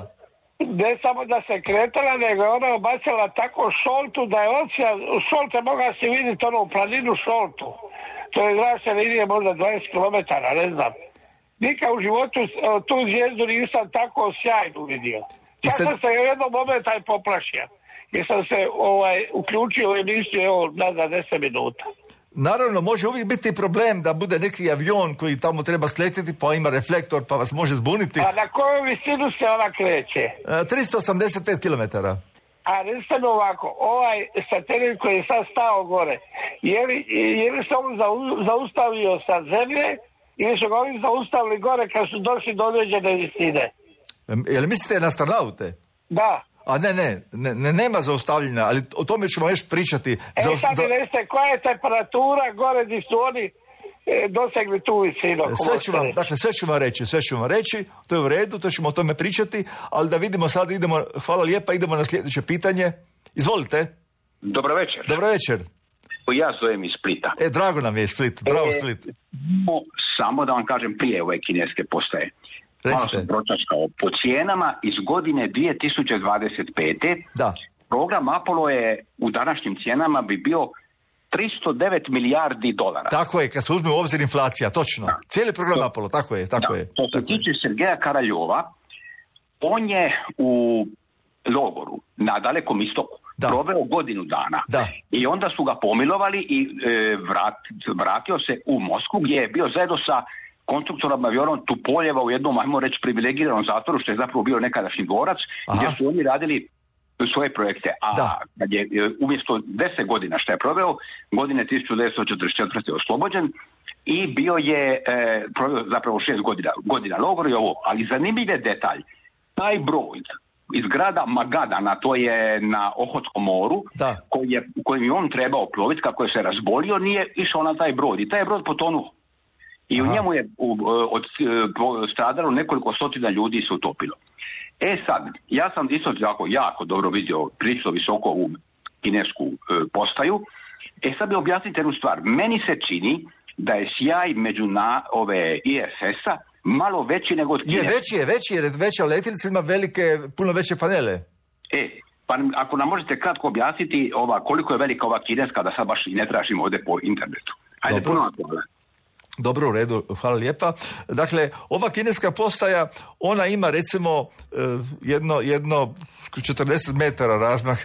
Ne samo da se kretala, nego je ona obacila tako šoltu da je ocean, šolte mogla se vidjeti ono u planinu šoltu. To je zračne linije možda 20 km, ne znam. Nikad u životu tu zvijezdu nisam tako sjajnu vidio. Ja sam se u jednom momentu poplašio. Jer sam se uključio u emisiju nazad 10 minuta. Naravno, može uvijek biti problem da bude neki avion koji tamo treba sletjeti, pa ima reflektor, pa vas može zbuniti. A na koju visinu se ona kreće? 385 km. A recite mi ovako, ovaj satelit koji je sad stao gore, je li se on zaustavio sa zemlje ili su ga oni zaustavili gore kad su došli do određene visine? Jel mislite na astronaute? Da. A nema zaustavljanja, ali o tome ćemo još pričati. Sad mi recite, koja je temperatura gore gdje su oni dosegli tu visinu? Sve ću vam reći, to je u redu, to ćemo o tome pričati, ali da vidimo sad, hvala lijepa, idemo na sljedeće pitanje. Izvolite. Dobro večer. Dobro večer. Ja zovem iz Splita. Drago nam je Split, bravo Split. Samo da vam kažem prije ove kineske postaje. Malo sam pročačkao. Po cijenama iz godine 2025. Da. Program Apollo je u današnjim cijenama bi bio 309 milijardi dolara. Tako je, kad se uzme u obzir inflacija, točno. Da. Cijeli program Apollo, tako je. Što se tiče Sergeja Karaljova, on je u logoru na Dalekom istoku proveo godinu dana. Da. I onda su ga pomilovali i vratio se u Moskvu gdje je bio zajedno sa konstruktorom avionom Tupoljeva u jednom, ajmo reći, privilegiranom zatvoru, što je zapravo bio nekadašnji dvorac, gdje su oni radili svoje projekte. A kad je umjesto 10 godina što je proveo, godine 1944. oslobođen i bio je proveo zapravo 6 godina logora i ovo. Ali zanimljiv je detalj. Taj broj iz grada Magadana, to je na Ohotskom moru, kojim je on trebao ploviti, kako je se razbolio, nije išao na taj brod i taj je brod potonuo. I u njemu je stradalo nekoliko stotina ljudi se utopilo. Sad, ja sam isto jako dobro vidio prilično visoko ovu kinesku postaju. Sad mi objasnite jednu stvar. Meni se čini da je sjaj ove ISS-a malo veći nego od kineske. Veći jer veća letjelica ima puno veće panele. Pa ako nam možete kratko objasniti koliko je velika ova kineska, da sad baš i ne tražimo ovdje po internetu. Ajde, puno na to. Dobro, u redu, hvala lijepa. Dakle, ova kineska postaja, ona ima recimo jedno 40 metara razmah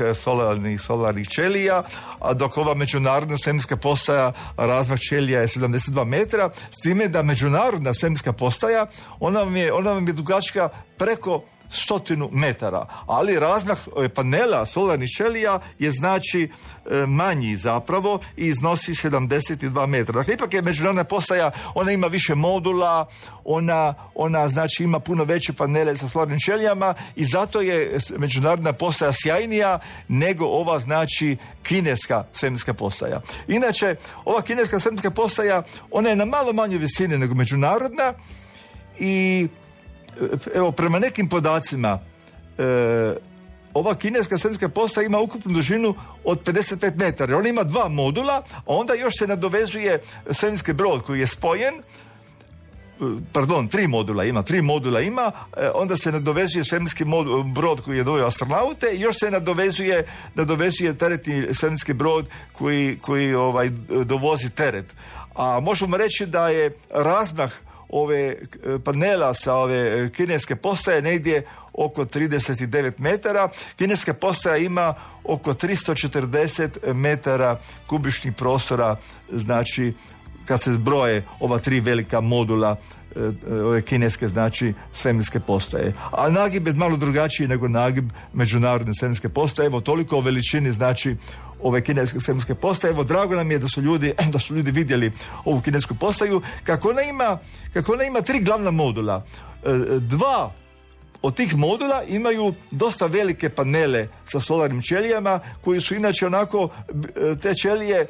solarnih ćelija, a dok ova međunarodna svemirska postaja razmah ćelija je 72 metra, s time da međunarodna svemirska postaja, ona vam je dugačka preko 100 metara, ali razmah panela solarnih ćelija je znači manji zapravo i iznosi 72 metra. Dakle, ipak je međunarodna postaja, ona ima više modula, ona znači ima puno veće panele sa solarnim ćelijama i zato je međunarodna postaja sjajnija nego ova znači kineska svemirska postaja. Inače, ova kineska svemirska postaja, ona je na malo manje visine nego međunarodna i evo, prema nekim podacima, ova kineska svemirska postaja ima ukupnu dužinu od 55 metara. Ona ima 2 modula, a onda još se nadovezuje svemirski brod koji je spojen, 3 modula ima, onda se nadovezuje svemirski brod koji je doveo astronaute i još se nadovezuje teretni svemirski brod koji dovozi teret. A možemo reći da je razmah ove panela sa ove kineske postaje negdje oko 39 metara. Kineska postaja ima oko 340 metara kubičnih prostora, znači kad se zbroje ova 3 velika modula ove kineske, znači svemirske postaje. A nagib je malo drugačiji nego nagib međunarodne svemirske postaje. Evo, toliko o veličini, znači, ove kineske svemirske postaje. Evo, drago nam je da su ljudi vidjeli ovu kinesku postaju. Kako ona ima 3 glavna modula. 2 od tih modula imaju dosta velike panele sa solarnim ćelijama, koji su inače onako, te ćelije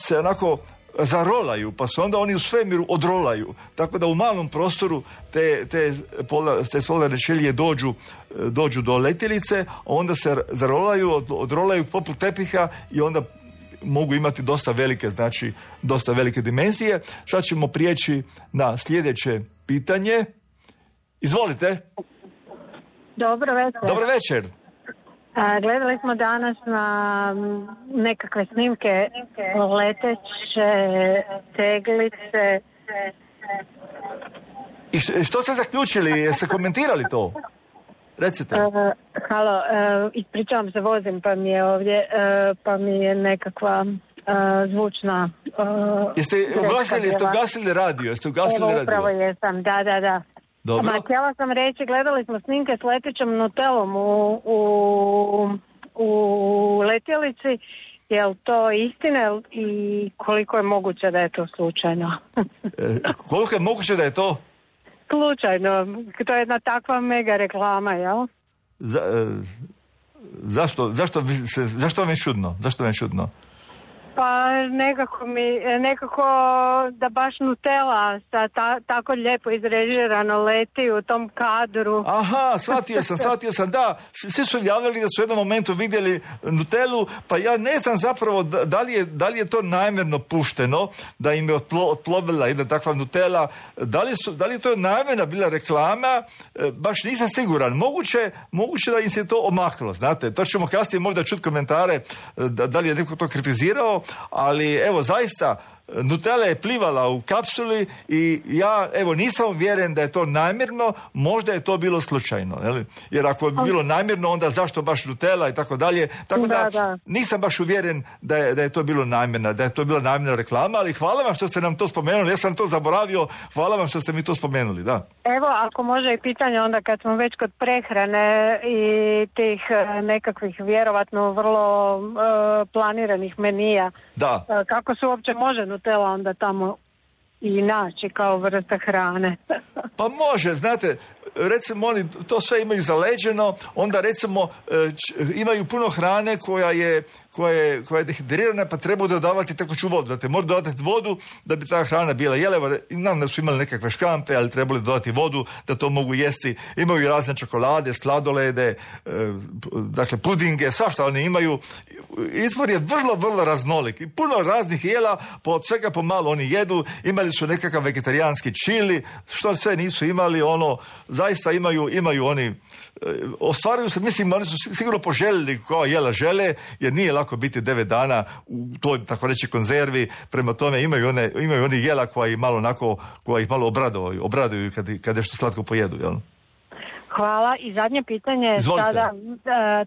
se onako zarolaju, pa se onda oni u svemiru odrolaju. Tako da u malom prostoru te solarne ćelije dođu do letjelice, a onda se odrolaju poput tepiha i onda mogu imati dosta velike dimenzije. Sad ćemo prijeći na sljedeće pitanje. Izvolite. Dobro večer. Dobro večer. Gledali smo danas na nekakve snimke leteće teglice. I što ste zaključili? Jeste komentirali to? Recite. Halo, ispričavam se, vozim pa mi je ovdje, pa mi je nekakva zvučna... Jeste ugasili radio? Evo, upravo jesam, da. Dobro. Htjela sam reći, gledali smo snimke s letećom Nutellom u letjelici. Je li to istina i koliko je moguće da je to slučajno? Koliko je moguće da je to? Slučajno. To je jedna takva mega reklama, jel? Zašto vam je čudno? Pa nekako da baš Nutella sa tako lijepo izrežirano leti u tom kadru. Aha, shvatio sam, da. Svi su javljali da su u jednom momentu vidjeli Nutellu, pa ja ne znam zapravo da li je to namjerno pušteno, da im je otplovila jedna takva Nutella. Da li je to namjerna bila reklama, baš nisam siguran. Moguće da im se to omaklo, znate. To ćemo kasnije možda čuti komentare da li je neko to kritizirao, ali evo zaista Nutella je plivala u kapsuli i ja nisam uvjeren da je to namjerno, možda je to bilo slučajno, jer ako je bilo namjerno, onda zašto baš Nutella i tako dalje, tako da nisam baš uvjeren da je to bilo namjerno, da je to bila namjerna reklama, ali hvala vam što ste nam to spomenuli, ja sam to zaboravio, hvala vam što ste mi to spomenuli, da. Evo, ako može i pitanje onda kad smo već kod prehrane i tih nekakvih vjerovatno vrlo planiranih menija, da. Kako se uopće može Nutella onda tamo i naći kao vrsta hrane? Pa može, znate, recimo oni to sve imaju zaleđeno, onda recimo imaju puno hrane koja je dehidrirana, pa treba dodavati tekuću vodu. Dakle, mora dodati vodu da bi ta hrana bila jeleva. Nam da su imali nekakve škampe, ali trebali dodati vodu da to mogu jesti. Imaju razne čokolade, sladolede, dakle pudinge, svašta oni imaju. Izvor je vrlo, vrlo raznolik. I puno raznih jela, od svega pomalo oni jedu. Imali su nekakav vegetarijanski čili, što sve nisu imali, zaista imaju oni, ostvaruju se, mislim, oni su sigurno poželjeli koja jela žele, jer nije lako biti 9 dana u toj, tako reći, konzervi. Prema tome imaju oni jela koja ih malo obraduju kad nešto slatko pojedu, jel? Hvala. I zadnje pitanje, sada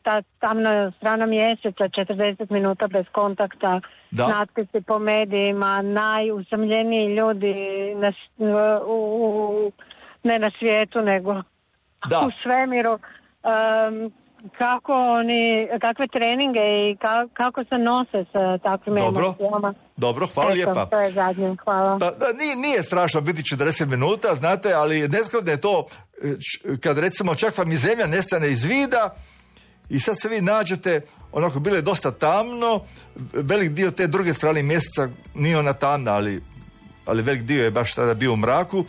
ta tamna strana mjeseca, 40 minuta bez kontakta, natpisi po medijima, najusamljeniji ljudi ne na svijetu, nego u svemiru. Kakve treninge i kako se nose sa takvim emocijama? Dobro, hvala lijepa. To je zadnje, hvala. Nije strašno biti 40 minuta, znate, ali nezgodno je to kad recimo čak vam i zemlja nestane iz vida i sad se vi nađete, onako bilo je dosta tamno, velik dio te druge strane mjeseca nije ona tamna, ali velik dio je baš tada bio u mraku,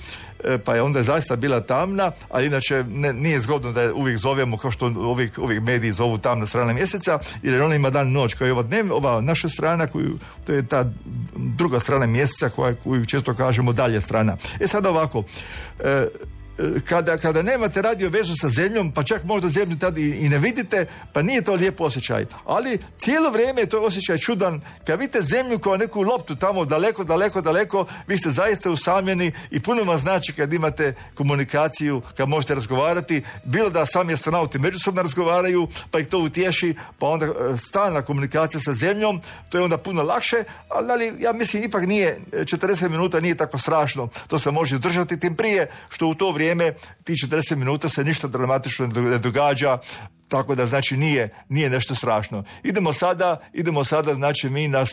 pa je onda zaista bila tamna, ali inače nije zgodno da je uvijek zovemo kao što uvijek mediji zovu tamna strana mjeseca, jer ona ima dan noć, koja je ova naša strana, to je ta druga strana mjeseca koju često kažemo dalje strana. Sad ovako, kada nemate radio vezu sa zemljom, pa čak možda zemlju tad i ne vidite, pa nije to lijep osjećaj. Ali cijelo vrijeme je to osjećaj čudan. Kad vidite zemlju kao neku loptu tamo daleko, vi ste zaista usamljeni i puno vam znači kad imate komunikaciju, kad možete razgovarati, bilo da sami astronauti međusobno razgovaraju, pa ih to utješi, pa onda stalna komunikacija sa zemljom, to je onda puno lakše, ali ja mislim ipak nije, 40 minuta nije tako strašno, to se može držati, tim prije što u to vrijeme ti 40 minuta se ništa dramatično ne događa, tako da znači nije nešto strašno. Idemo sada znači mi na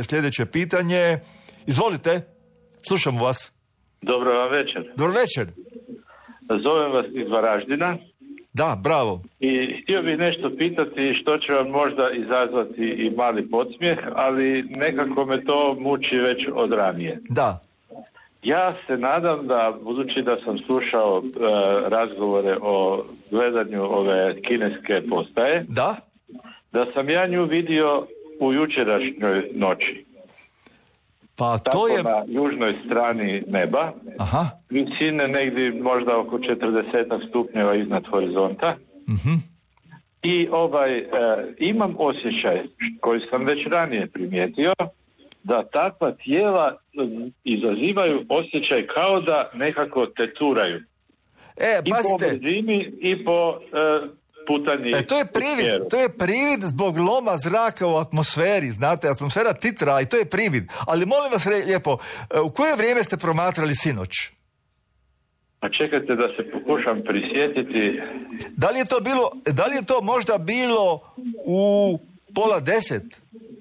sljedeće pitanje. Izvolite, slušamo vas. Dobro vam večer. Dobro večer. Zovem vas iz Varaždina. Da, bravo. I htio bih nešto pitati što će vam možda izazvati i mali podsmijeh, ali nekako me to muči već od ranije. Da. Ja se nadam da, budući da sam slušao razgovore o gledanju ove kineske postaje, da sam ja nju vidio u jučerašnjoj noći. Pa to tako je... na južnoj strani neba, visine negdje možda oko 40 stupnjeva iznad horizonta. I imam osjećaj koji sam već ranije primijetio, da takva tijela izazivaju osjećaj kao da nekako teturaju. I po brzini i po putanji. To je privid zbog loma zraka u atmosferi, znate, atmosfera titra i to je privid. Ali molim vas lijepo, u koje vrijeme ste promatrali sinoć? A čekajte da se pokušam prisjetiti. Da li je to možda bilo u 9:30?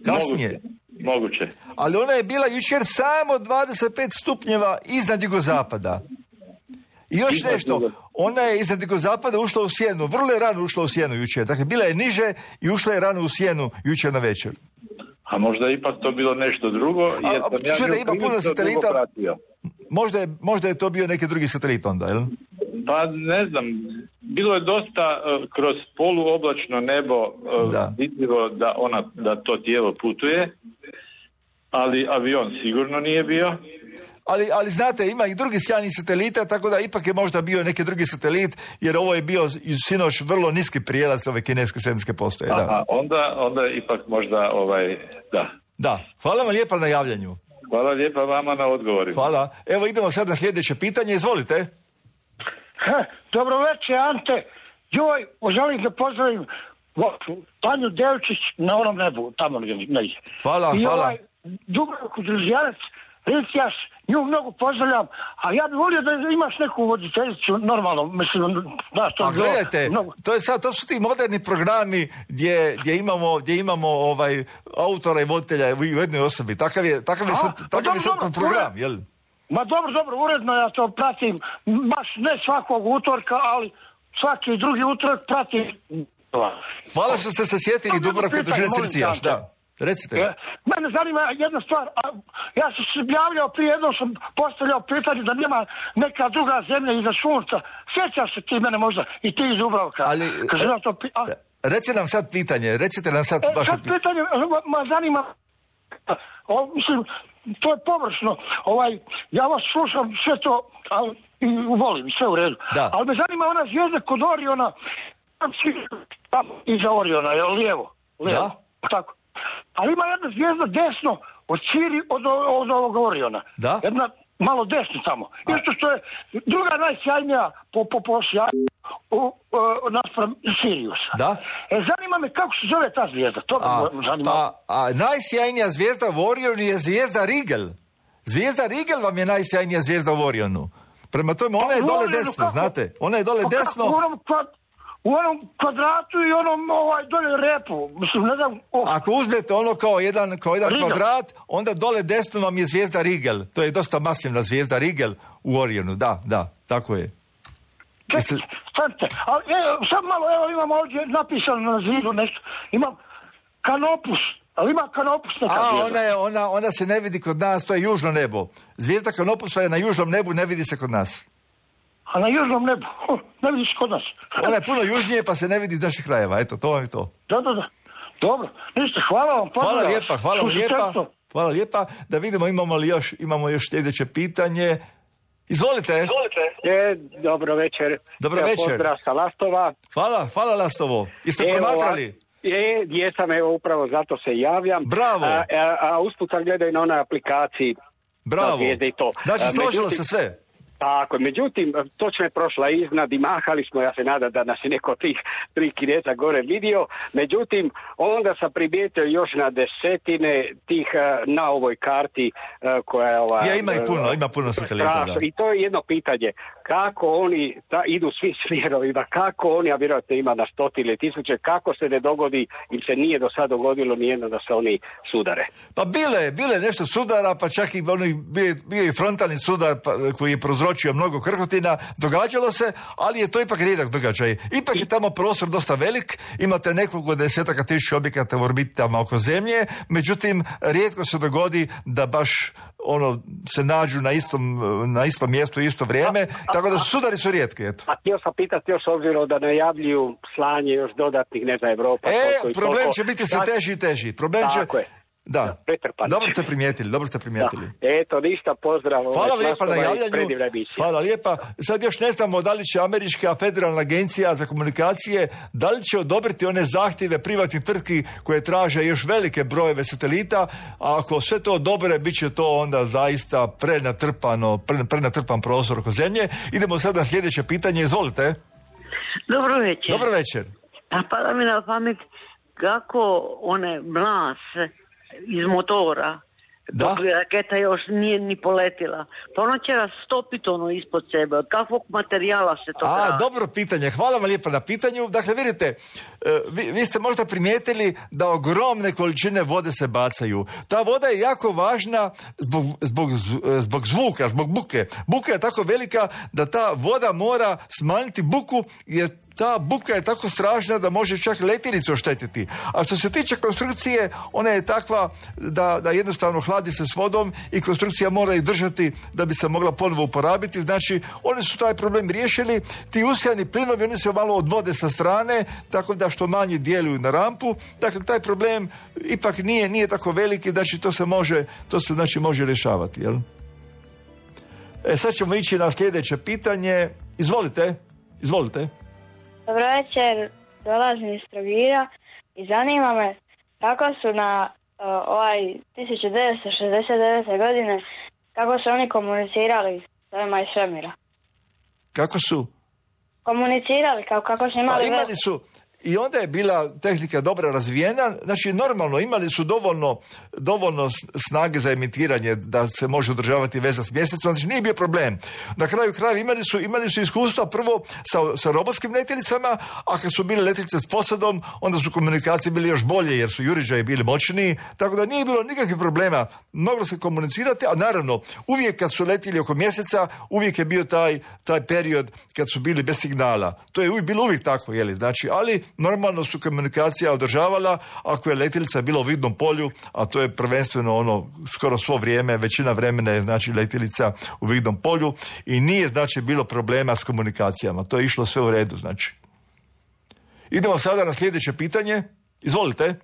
Kasnije? Moguće. Ali ona je bila jučer samo 25 stupnjeva iznad jugozapada. I još nešto, ona je iznad jugozapada ušla u sjenu, vrlo je rano ušla u sjenu jučer. Dakle, bila je niže i ušla je rano u sjenu jučer na večer. A možda je ipak to bilo nešto drugo, jer sam ja ima puno satelita. Možda je to bio neki drugi satelit onda, jel? Pa ne znam, bilo je dosta kroz poluoblačno nebo vidljivo da to tijelo putuje, ali avion sigurno nije bio. Ali znate, ima i drugi sjajnih satelita, tako da ipak je možda bio neki drugi satelit, jer ovo je bio sinoć vrlo niski prijelaz ove kineske svemirske postaje. Aha, onda ipak možda Da, hvala vam lijepa na javljanju. Hvala lijepa vama na odgovorima. Hvala. Evo idemo sad na sljedeće pitanje, izvolite. Dobro večer, Ante. Želim da pozdravim Tanju Devčić na onom nebu, tamo negdje. Hvala. Dubravku Đurđijanac, Ricijaš, nju mnogo pozdravljam, a ja bih volio da imaš neku voditeljicu, normalno, mislim, da što... A gledajte, to su ti moderni programi gdje imamo autora i voditelja u jednoj osobi. Takav je sad program, jel? Ma dobro, uredno ja to pratim, baš ne svakog utorka, ali svaki drugi utorak pratim. Hvala što ste se sjetili Dubravka Dužine Circijaš, da. Recite. Mene zanima jedna stvar, ja sam se javljao prije jednom, sam postavljao pitanje da nema neka druga zemlja iza sunca. Sjećaš se ti mene možda i ti iz Dubravka? Ali, recite nam sad pitanje, sad pitanje, zanima, mislim, to je površno, ja vas slušam sve to, i volim, sve u redu. Da. Ali me zanima ona zvijezda kod Oriona, iza Oriona, je lijevo? Da. Tako. Ali ima jedna zvijezda desno od Ciri od ovog Oriona. Da? Jedna malo desno tamo. Isto što je druga najsjajnija po sjajnju naspram Siriusa. Da? Zanima me kako se zove ta zvijezda. To me zanima. Najsjajnija zvijezda u Orionu je zvijezda Rigel. Zvijezda Rigel vam je najsjajnija zvijezda u Orionu. Prema tome, ona je dole desno, znate? Ona je dole desno. U onom kvadratu i onom dole repu. Mislim, ne znam. Ako uzmete ono kao jedan kvadrat, onda dole desno vam je zvijezda Rigel. To je dosta masivna zvijezda Rigel u Orionu. Da, tako je. Stanite, ali sad malo, imam ovdje napisano na zidu nešto. Imam Kanopus. Ali ima Kanopus neka zvijezda. Ona se ne vidi kod nas, to je južno nebo. Zvijezda Kanopusa je na južnom nebu, ne vidi se kod nas. A na južnom nebu? Ne vidiš kod nas. Ona je puno južnije, pa se ne vidi iz naših krajeva. Eto, to vam je to. Da. Dobro. Ništa, hvala vam. Hvala lijepa. Da vidimo, imamo još sljedeće pitanje. Izvolite. Dobro večer. Dobro večer. Pozdrav sa Lastova. Hvala Lastovo. Jeste promatrali? Jesam, upravo zato se javljam. Bravo. A usput sam gledao i na onoj aplikaciji. Bravo. I to. Znači, složilo se sve. Tako, međutim, točno je prošla iznad i mahali smo, ja se nadam da nas je neko tih 3 Kineza gore vidio, međutim, onda sam primijetio još na desetine tih na ovoj karti koja je ima puno satelita. I to je jedno pitanje, kako oni idu svi smjerovima, kako oni, a vjerojatno ima na stotine tisuće, kako se ne dogodi, im se nije do sad dogodilo nijedno da se oni sudare. Pa bile nešto sudara, pa čak i bio i frontalni sudar koji je prouzročio mnogo krhotina, događalo se, ali je to ipak rijedak događaj. Ipak je tamo prostor dosta velik, imate nekoliko desetaka tisuća objekata u orbitama oko Zemlje, međutim, rijetko se dogodi da baš se nađu na istom mjestu u isto vrijeme, tako da sudari su rijetki, eto. A htio sam pitati još obzirom da najavljuju slanje još dodatnih, ne znam, Evropa. Problem će biti sve teži i teži. Tako je. Da, dobro ste primijetili. Eto, ništa, pozdrav. Hvala lijepa na javljanju. Hvala lijepa. Sad još ne znamo da li će Američka federalna agencija za komunikacije, da li će odobriti one zahtjeve privatnih tvrtki koje traže još velike brojeve satelita, a ako sve to odobre, bit će to onda zaista prenatrpan prostor oko Zemlje. Idemo sad na sljedeće pitanje, izvolite. Dobro večer. A pada mi na pamet kako one mlase iz motora, dok raketa još nije ni poletila. Pa ona će rastopiti ispod sebe. Od kakvog materijala se to traži? Dobro pitanje. Hvala vam lijepa na pitanju. Dakle, vidite, vi ste možda primijetili da ogromne količine vode se bacaju. Ta voda je jako važna zbog zvuka, zbog buke. Buka je tako velika da ta voda mora smanjiti buku, jer ta buka je tako strašna da može čak letjelicu oštetiti. A što se tiče konstrukcije, ona je takva da jednostavno hladi se s vodom i konstrukcija mora ih držati da bi se mogla ponovo uporabiti. Znači, oni su taj problem riješili. Ti usijani plinovi, oni se malo odvode sa strane, tako da što manje djeluju na rampu. Dakle, taj problem ipak nije tako veliki, znači to se može rješavati. Jel? Sad ćemo ići na sljedeće pitanje. Izvolite. Dobro večer, dolazim iz Trogira i zanima me kako su na 1969. godine, kako su oni komunicirali s ovima iz svemira. Kako su? Komunicirali, kako su imali i onda je bila tehnika dobro razvijena, znači normalno imali su dovoljno snage za emitiranje da se može održavati veza s mjesecom, znači nije bio problem. Na kraju krajeva imali su iskustva prvo sa robotskim letjelicama, a kad su bile letjelice s posadom, onda su komunikacije bile još bolje jer su juriđaji bili moćniji, tako da nije bilo nikakvih problema, moglo se komunicirati, a naravno uvijek kad su letjeli oko mjeseca, uvijek je bio taj period kad su bili bez signala. To je bilo uvijek tako, znači, ali normalno su komunikacija održavala ako je letjelica bila u vidnom polju, a to je prvenstveno skoro svo vrijeme, većina vremena je znači letjelica u vidnom polju i nije znači bilo problema s komunikacijama. To je išlo sve u redu, znači. Idemo sada na sljedeće pitanje. Izvolite.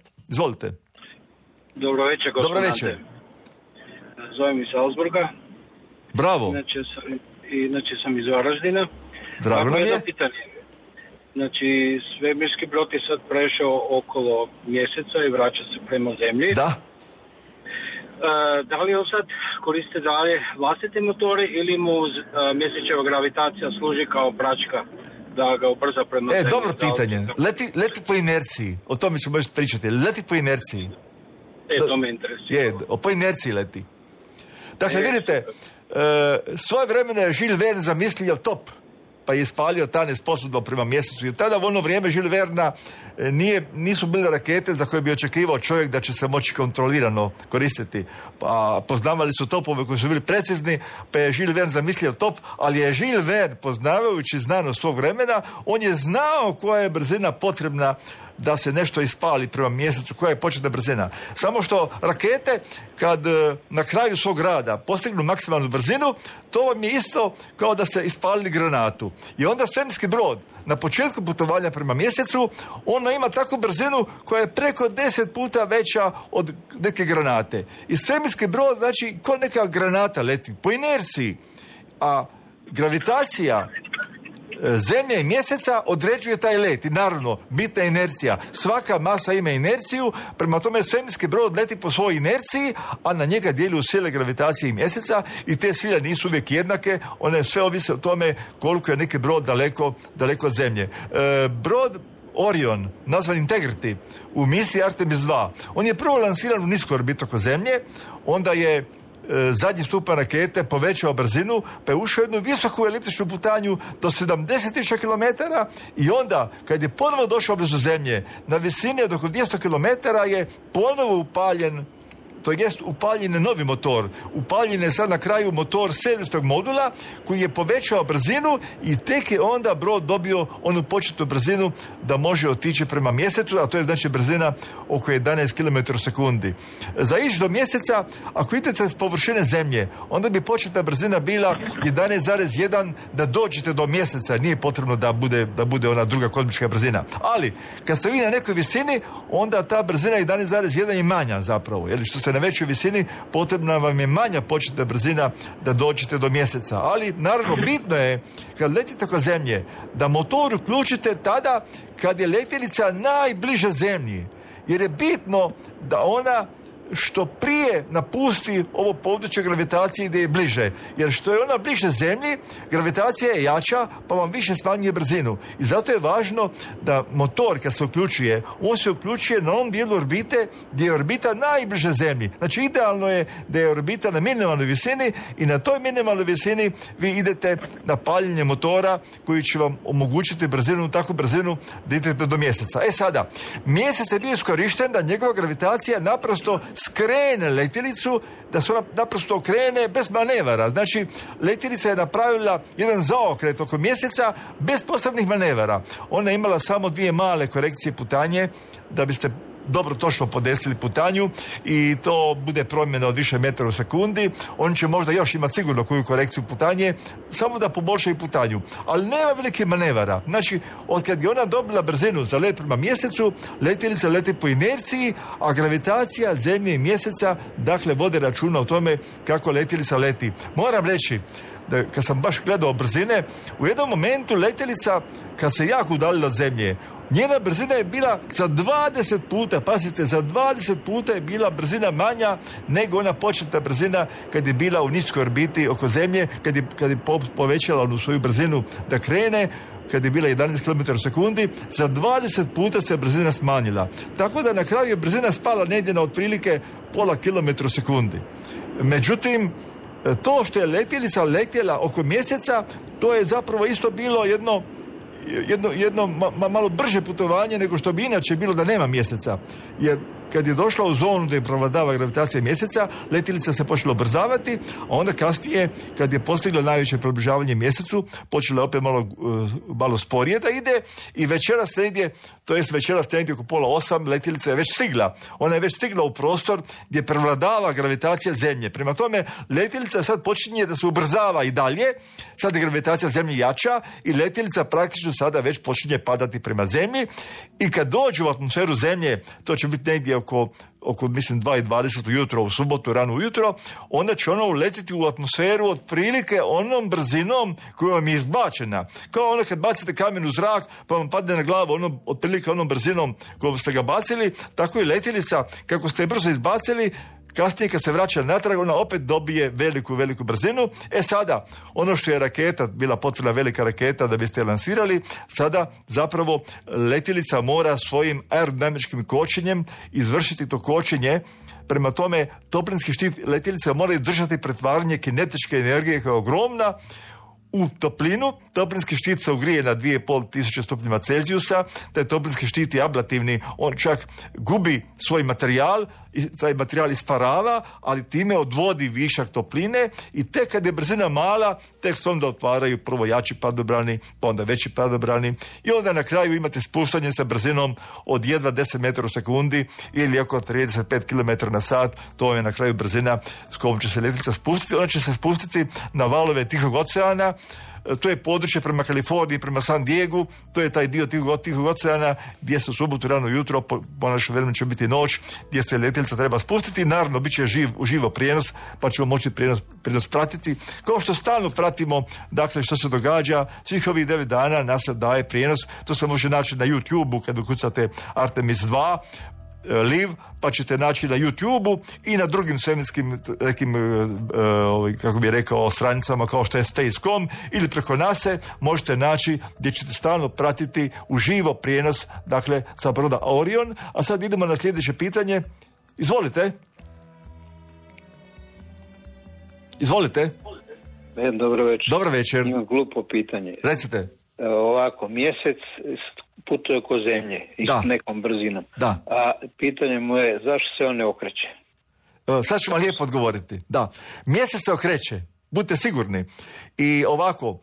Dobro večer, gospodine. Dobro večer. Zovem iz Salzburga. Bravo. Inače sam iz Varaždina. Drago nam je. Pitanje. Znači, svemirski brod je sad prešao okolo mjeseca i vraća se prema zemlji. Da. Da li on sad koriste dalje vlastite motore ili mu mjesečeva gravitacija služi kao praćka da ga ubrza prema zemlji? Dobro pitanje. Leti po inerciji. O tome ćemo još pričati. Leti po inerciji. To me interesuje. Po inerciji leti. Dakle, vidite, svoje vremena je Jules Verne zamislio top, pa je ispalio ta nesposobno prema mjesecu. Jer tada u ono vrijeme Jules Verna nisu bile rakete za koje bi očekivao čovjek da će se moći kontrolirano koristiti. Pa poznavali su topove koji su bili precizni, pa je Jules Verne zamislio top, ali je Jules Verne, poznavajući znanost svog vremena, on je znao koja je brzina potrebna da se nešto ispali prema mjesecu, koja je početna brzina. Samo što rakete, kad na kraju svog rada postignu maksimalnu brzinu, to vam je isto kao da ste ispalili granatu. I onda svemirski brod, na početku putovanja prema mjesecu, ono ima takvu brzinu koja je preko 10 puta veća od neke granate. I svemirski brod, znači, ko neka granata leti po inerciji, a gravitacija Zemlje i mjeseca određuje taj let i naravno bitna je inercija. Svaka masa ima inerciju, prema tome svemirski brod leti po svojoj inerciji, a na njega djeluju sile gravitacije i mjeseca i te sile nisu uvijek jednake, one sve ovise o tome koliko je neki brod daleko od Zemlje. Brod Orion, nazvan Integrity, u misiji Artemis 2, on je prvo lansiran u nisku orbitu oko Zemlje, onda je zadnji stupanj rakete povećao brzinu, pa je ušao jednu visoku eliptičnu putanju do 70.000 km i onda, kad je ponovo došao blizu Zemlje, na visini od oko 200 km je ponovo upaljen je novi motor. Upaljen je sad na kraju motor serijskog modula koji je povećao brzinu i tek je onda brod dobio onu početnu brzinu da može otići prema mjesecu, a to je znači brzina oko 11 km sekundi. Za ići do mjeseca, ako idete s površine Zemlje, onda bi početna brzina bila 11,1 da dođete do mjeseca. Nije potrebno da bude ona druga kozmička brzina. Ali, kad ste vi na nekoj visini, onda ta brzina 11,1 je manja zapravo. Jer što ste na većoj visini, potrebna vam je manja početna brzina da dođete do mjeseca. Ali, naravno, bitno je, kad letite oko Zemlje, da motor uključite tada kad je letjelica najbliže Zemlji. Jer je bitno da ona što prije napusti ovo područje gravitacije gdje je bliže. Jer što je ona bliže Zemlji, gravitacija je jača, pa vam više smanjuje brzinu. I zato je važno da motor, kad se uključuje, on se uključuje na onom dijelu orbite gdje je orbita najbliže Zemlji. Znači, idealno je da je orbita na minimalnoj visini i na toj minimalnoj visini vi idete na paljenje motora koji će vam omogućiti takvu brzinu da idete do mjeseca. Sada, mjesec je bio iskorišten da njegova gravitacija naprosto skrene letjelicu, da se ona naprosto okrene bez manevara. Znači, letjelica je napravila jedan zaokret oko mjeseca bez posebnih manevara. Ona je imala samo 2 male korekcije putanje da biste dobro točno podesili putanju i to bude promjena od više metara u sekundi. Oni će možda još imati sigurno koju korekciju putanje, samo da poboljšaju putanju. Ali nema velike manevara. Znači, od kad je ona dobila brzinu za let prema mjesecu, letjelica leti po inerciji, a gravitacija Zemlje i mjeseca, dakle, vode računa o tome kako letjelica leti. Moram reći, da kad sam baš gledao brzine, u jednom momentu letjelica, kad se jako udaljila od zemlje, njena brzina je bila za 20 puta, pazite, za 20 puta je bila brzina manja nego ona početna brzina kad je bila u niskoj orbiti oko zemlje, kad je povećala onu svoju brzinu da krene, kad je bila 11 km u sekundi, za 20 puta se brzina smanjila. Tako da na kraju je brzina spala negdje na otprilike pola kilometra u sekundi. Međutim, to što je letjelica letjela oko mjeseca, to je zapravo isto bilo jedno malo brže putovanje nego što bi inače bilo da nema mjeseca. Jer kad je došla u zonu gdje prevladava gravitacija mjeseca, letjelica se počela ubrzavati, a onda kasnije, kad je postigla najveće približavanje mjesecu, počela opet malo sporije da ide i večeras negdje oko 7:30 letjelica je već stigla. Ona je već stigla u prostor gdje prevladava gravitacija Zemlje. Prema tome, letjelica sad počinje da se ubrzava i dalje, sad je gravitacija Zemlje jača i letjelica praktično sada već počinje padati prema Zemlji i kad dođu u atmosferu Zemlje, to će biti negdje oko mislim 2:20 ujutro, u subotu rano ujutro, onda će ona uletiti u atmosferu otprilike onom brzinom koja vam je izbačena. Kao ono kad bacite kamen u zrak pa vam padne na glavu otprilike onom brzinom kojom ste ga bacili, tako i letjelica kako ste je brzo izbacili, kasnije kad se vraća natrag, ona opet dobije veliku brzinu. Sada, ono što je raketa, bila potrebna velika raketa da biste je lansirali, sada zapravo letjelica mora svojim aerodinamičkim kočenjem izvršiti to kočenje. Prema tome, toplinski štit letjelica mora držati pretvaranje kinetičke energije koja je ogromna u toplinu. Toplinski štit se ugrije na 2500 stupnjeva Celzijusa, taj toplinski štit je ablativni, on čak gubi svoj materijal, taj materijal isparava, ali time odvodi višak topline i tek kad je brzina mala, tek se onda otvaraju prvo jači padobrani, pa onda veći padobrani i onda na kraju imate spuštanje sa brzinom od jedva 10 metara u sekundi ili oko 35 km na sat, to je na kraju brzina s kojom će se letjelica spustiti. Ona će se spustiti na valove Tihog oceana. To je područje prema Kaliforniji, prema San Diegu, to je taj dio Tihog oceana gdje se u subotu rano jutro, po našem vremenu će biti noć, gdje se letjelica treba spustiti. Naravno, bit će uživo prijenos, pa ćemo moći prijenos pratiti. Kao što stalno pratimo, dakle, što se događa, svih ovih 9 dana nas se daje prijenos. To se može naći na YouTube-u kad ukucate Artemis 2, live, pa ćete naći na YouTube-u i na drugim svemirskim nekim, kako bih rekao, stranicama kao što je Space.com ili preko NASA možete naći gdje ćete stalno pratiti uživo prijenos, dakle, sa broda Orion. A sad idemo na sljedeće pitanje. Izvolite. Dobro večer. Dobro večer. Imam glupo pitanje. Recite. Ovako, mjesec putuje oko zemlje i s nekom brzinom. Da. A pitanje mu je zašto se on ne okreće? Sad ću vam lijepo odgovoriti. Da. Mjesec se okreće, budite sigurni. I ovako,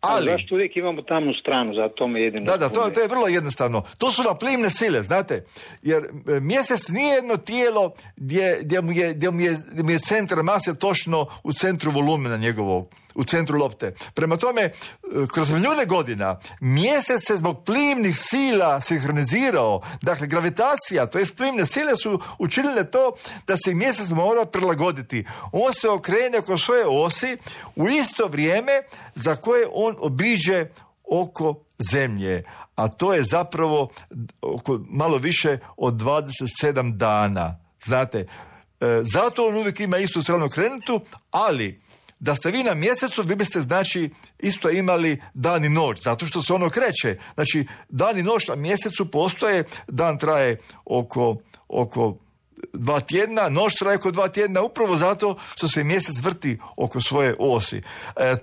ali... Zašto uvijek imamo tamnu stranu, za to me jedino... Da, to je vrlo jednostavno. To su naplimne sile, znate, jer mjesec nije jedno tijelo gdje mu je centar mase točno u centru volumena njegovog, u centru lopte. Prema tome, kroz milijune godina mjesec se zbog plimnih sila sinhronizirao. Dakle, gravitacija, to jest plimne sile su učinile to da se mjesec mora prilagoditi. On se okrene oko svoje osi u isto vrijeme za koje on obiđe oko Zemlje. A to je zapravo malo više od 27 dana. Znate, zato on uvijek ima istu stranu okrenutu, ali da ste vi na mjesecu, vi biste znači isto imali dan i noć, zato što se ono kreće. Znači, dan i noć na mjesecu postoje, dan traje oko 2 tjedna, noć traje oko 2 tjedna, upravo zato što se mjesec vrti oko svoje osi.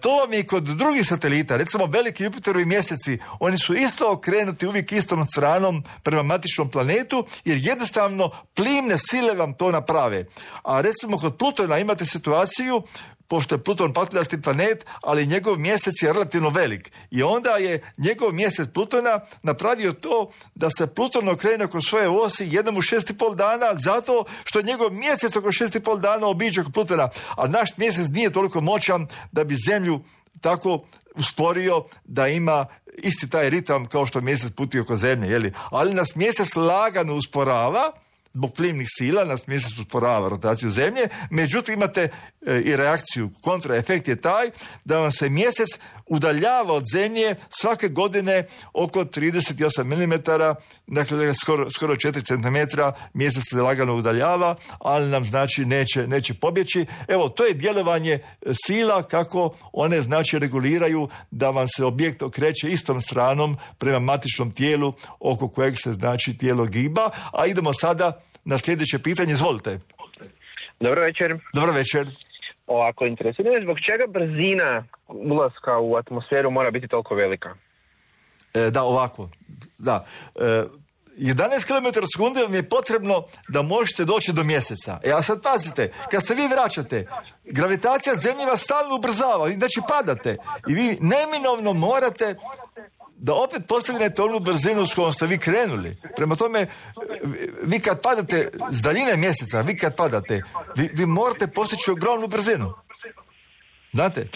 To vam je i kod drugih satelita, recimo veliki Jupiterovi mjeseci, oni su isto okrenuti uvijek istom stranom prema matičnom planetu, jer jednostavno plimne sile vam to naprave. A recimo kod Plutona imate situaciju, pošto je Pluton patljasti planet, ali njegov mjesec je relativno velik. I onda je njegov mjesec Plutona napravio to da se Pluton okrene oko svoje osi jednom u 6,5 dana, zato što njegov mjesec oko 6,5 dana obiđe oko Plutona. A naš mjesec nije toliko moćan da bi Zemlju tako usporio da ima isti taj ritam kao što mjesec putuje oko Zemlje. Ali nas mjesec lagano usporava, zbog plimnih sila, nas mjesec usporava rotaciju zemlje, međutim imate i reakciju, kontraefekt je taj da vam se mjesec udaljava od zemlje svake godine oko 38 mm, dakle skoro 4 cm mjesec se lagano udaljava, ali nam znači neće pobjeći. Evo, to je djelovanje sila kako one znači reguliraju da vam se objekt okreće istom stranom prema matičnom tijelu oko kojeg se znači tijelo giba. A idemo sada na sljedeće pitanje, izvolite. Dobro večer. Dobro večer. Ovako, interesuje me zbog čega brzina ulaska u atmosferu mora biti toliko velika? Da, ovako. Da. 11 km/s vam je potrebno da možete doći do mjeseca. A sad pazite, kad se vi vraćate, gravitacija zemlje vas stalno ubrzava, znači padate. I vi neminovno morate da opet postignete onu brzinu s kojom ste vi krenuli. Prema tome, vi kad padate s daljine mjeseca, vi morate postići ogromnu brzinu. Znate?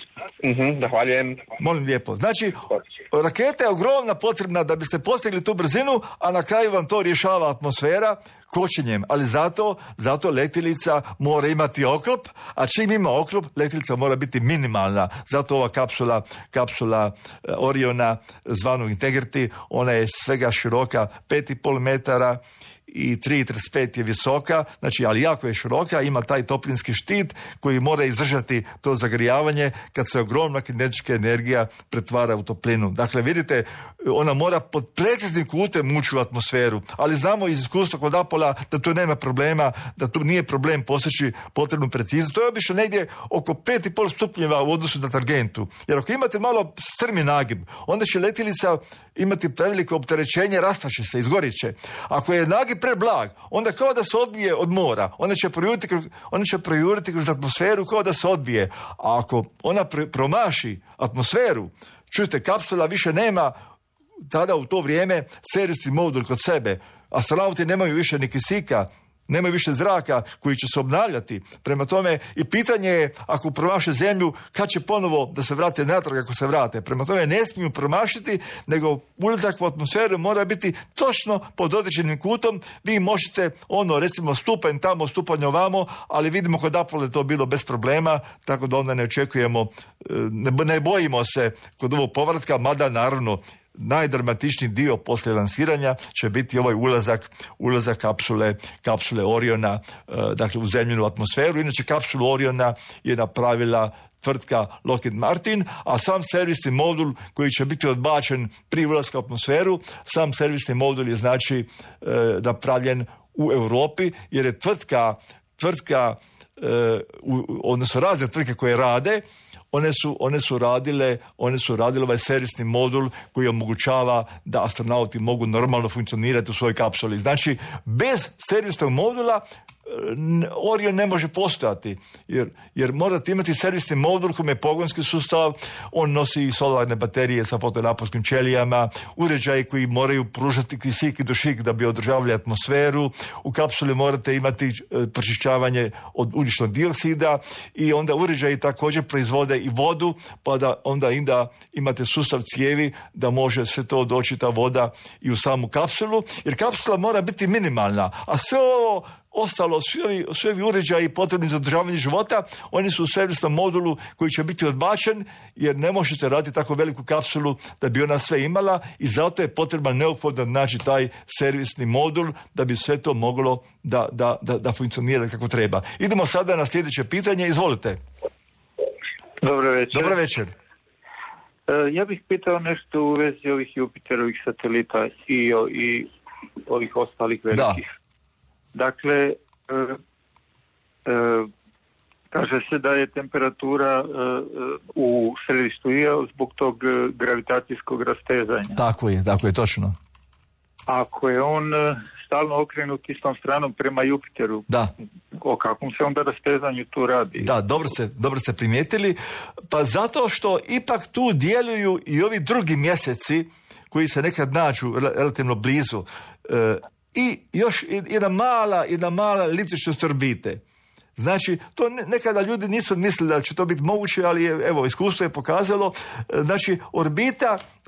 Zahvaljujem. Molim lijepo. Znači, raketa je ogromna potrebna da biste postigli tu brzinu, a na kraju vam to rješava atmosfera kočenjem. Ali zato letjelica mora imati oklop, a čim ima oklop, letjelica mora biti minimalna. Zato ova kapsula Oriona zvanog Integrity, ona je svega široka 5,5 metara i 3,35 je visoka, znači, ali jako je široka, ima taj toplinski štit koji mora izdržati to zagrijavanje kad se ogromna kinetička energija pretvara u toplinu. Dakle, vidite, ona mora pod preciznim kutem ući u atmosferu, ali znamo iz iskustva kod Apola da tu nema problema, da tu nije problem postići potrebnu preciznost. To je obično negdje oko 5,5 stupnjeva u odnosu na targentu. Jer ako imate malo strmi nagib, onda će letjelica imati preveliko opterećenje, rastaće se, izgorit će. Ako je nagib preblag, onda kao da se odbije od mora, ona će projuriti kroz atmosferu kao da se odbije. A ako ona promaši atmosferu, čujte, kapsula više nema tada u to vrijeme serijski modul kod sebe. Astronauti nemaju više ni kisika, nemaju više zraka koji će se obnavljati. Prema tome, i pitanje je, ako promaše zemlju, kad će ponovo da se vrate natrag ako se vrate. Prema tome, ne smiju promašiti, nego ulazak u atmosferu mora biti točno pod određenim kutom. Vi možete, recimo, stupanj tamo, stupanj ovamo, ali vidimo kod Apollo to bilo bez problema, tako da onda ne očekujemo, ne bojimo se kod ovog povratka, mada naravno najdramatičniji dio poslije lansiranja će biti ovaj ulazak kapsule Oriona, dakle u zemljinu atmosferu. Inače, kapsulu Oriona je napravila tvrtka Lockheed Martin, a sam servisni modul koji će biti odbačen prije ulaska u atmosferu, sam servisni modul je znači napravljen u Europi, jer je tvrtka odnosno razne tvrtke koje rade, one su radile ovaj servisni modul koji omogućava da astronauti mogu normalno funkcionirati u svojoj kapsuli. Znači, bez servisnog modula Orion ne može postojati, jer morate imati servisni modul koji je pogonski sustav, on nosi i solarne baterije sa fotonaposnskim ćelijama, uređaji koji moraju pružati kisik i dušik da bi održavali atmosferu, u kapsuli morate imati pročišćavanje od ugljičnog dioksida i onda uređaji također proizvode i vodu, pa da onda imate sustav cijevi da može sve to doći, ta voda, i u samu kapsulu, jer kapsula mora biti minimalna, a sve ovo ostalo, svi ovi uređaji potrebni za održavanje života, oni su u servisnom modulu koji će biti odbačen, jer ne možete raditi tako veliku kapsulu da bi ona sve imala, i zato je potreban neophodno naći taj servisni modul da bi sve to moglo da funkcionira kako treba. Idemo sada na sljedeće pitanje, izvolite. Dobro večer. Dobro večer. Ja bih pitao nešto u vezi ovih Jupiterovih satelita i ovih ostalih velikih. Dakle, kaže se da je temperatura u središtu zbog tog gravitacijskog rastezanja. Tako je, točno. Ako je on stalno okrenut istom stranom prema Jupiteru, o kakvom se onda rastezanju tu radi? Da, dobro ste primijetili. Pa zato što ipak tu djeluju i ovi drugi mjeseci koji se nekad nađu relativno blizu. I još jedna mala eliptičnost orbite. Znači, to nekada ljudi nisu mislili da će to biti moguće, ali evo, iskustvo je pokazalo. Znači,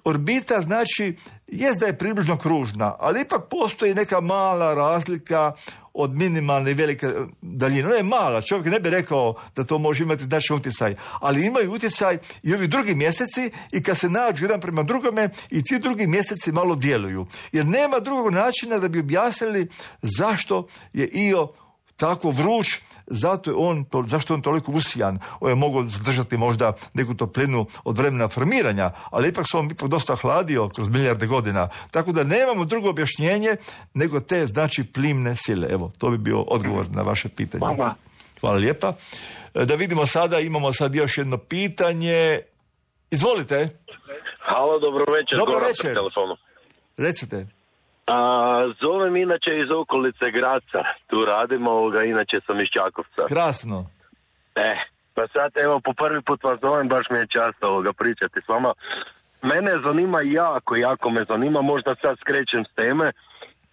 orbita znači, jest da je približno kružna, ali ipak postoji neka mala razlika od minimalne i velike daljine. Ona je mala, čovjek ne bi rekao da to može imati značajan utjecaj, ali imaju utjecaj i ovi drugi mjeseci i kad se nađu jedan prema drugome i ti drugi mjeseci malo djeluju. Jer nema drugog načina da bi objasnili zašto je Io tako vruć, zašto je on toliko usijan. On je mogao zadržati možda neku toplinu od vremena formiranja, ali ipak se on dosta hladio kroz milijarde godina. Tako da nemamo drugo objašnjenje nego te, znači, plimne sile. Evo, to bi bio odgovor na vaše pitanje. Hvala lijepa. Da vidimo sada, imamo sad još jedno pitanje. Izvolite. Halo, dobro večer. Dobro večer. Recite. Zovem inače iz okolice Graca, tu radimo, inače sam iz Čakovca. Krasno. Pa sad evo po prvi put vas zovem, baš mi je čast pričati s vama. Mene zanima jako me zanima, možda sad skrećem s teme,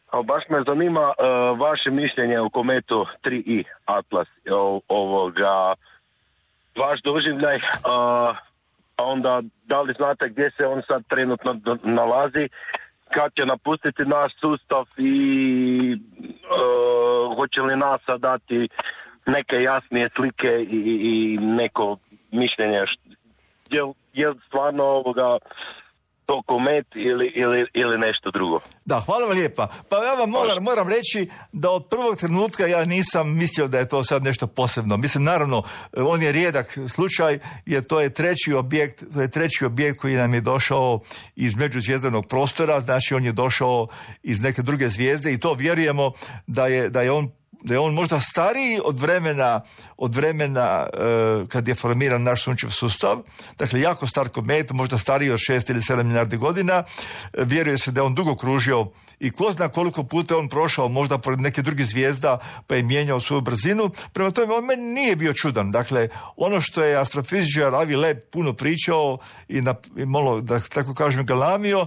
ali baš me zanima vaše mišljenje o kometu 3i Atlas, vaš doživljaj, onda da li znate gdje se on sad trenutno nalazi, kad će napustiti naš sustav i hoće li NASA dati neke jasnije slike i neko mišljenje, je stvarno to komet ili nešto drugo. Da, hvala vam lijepa. Pa ja vam moram reći da od prvog trenutka ja nisam mislio da je to sad nešto posebno. Mislim, naravno, on je rijedak slučaj, jer to je treći objekt koji nam je došao iz međuzvjezdanog prostora, znači on je došao iz neke druge zvijezde i to vjerujemo da je on možda stariji od vremena kad je formiran naš sunčev sustav. Dakle, jako star komet, možda stariji od 6 ili 7 milijardi godina. Vjeruje se da je on dugo kružio i ko zna koliko puta je on prošao možda pored neke druge zvijezda pa je mijenjao svoju brzinu. Prema tome, on meni nije bio čudan. Dakle, ono što je astrofizičar Avi Loeb puno pričao i malo, da tako kažem, galamio,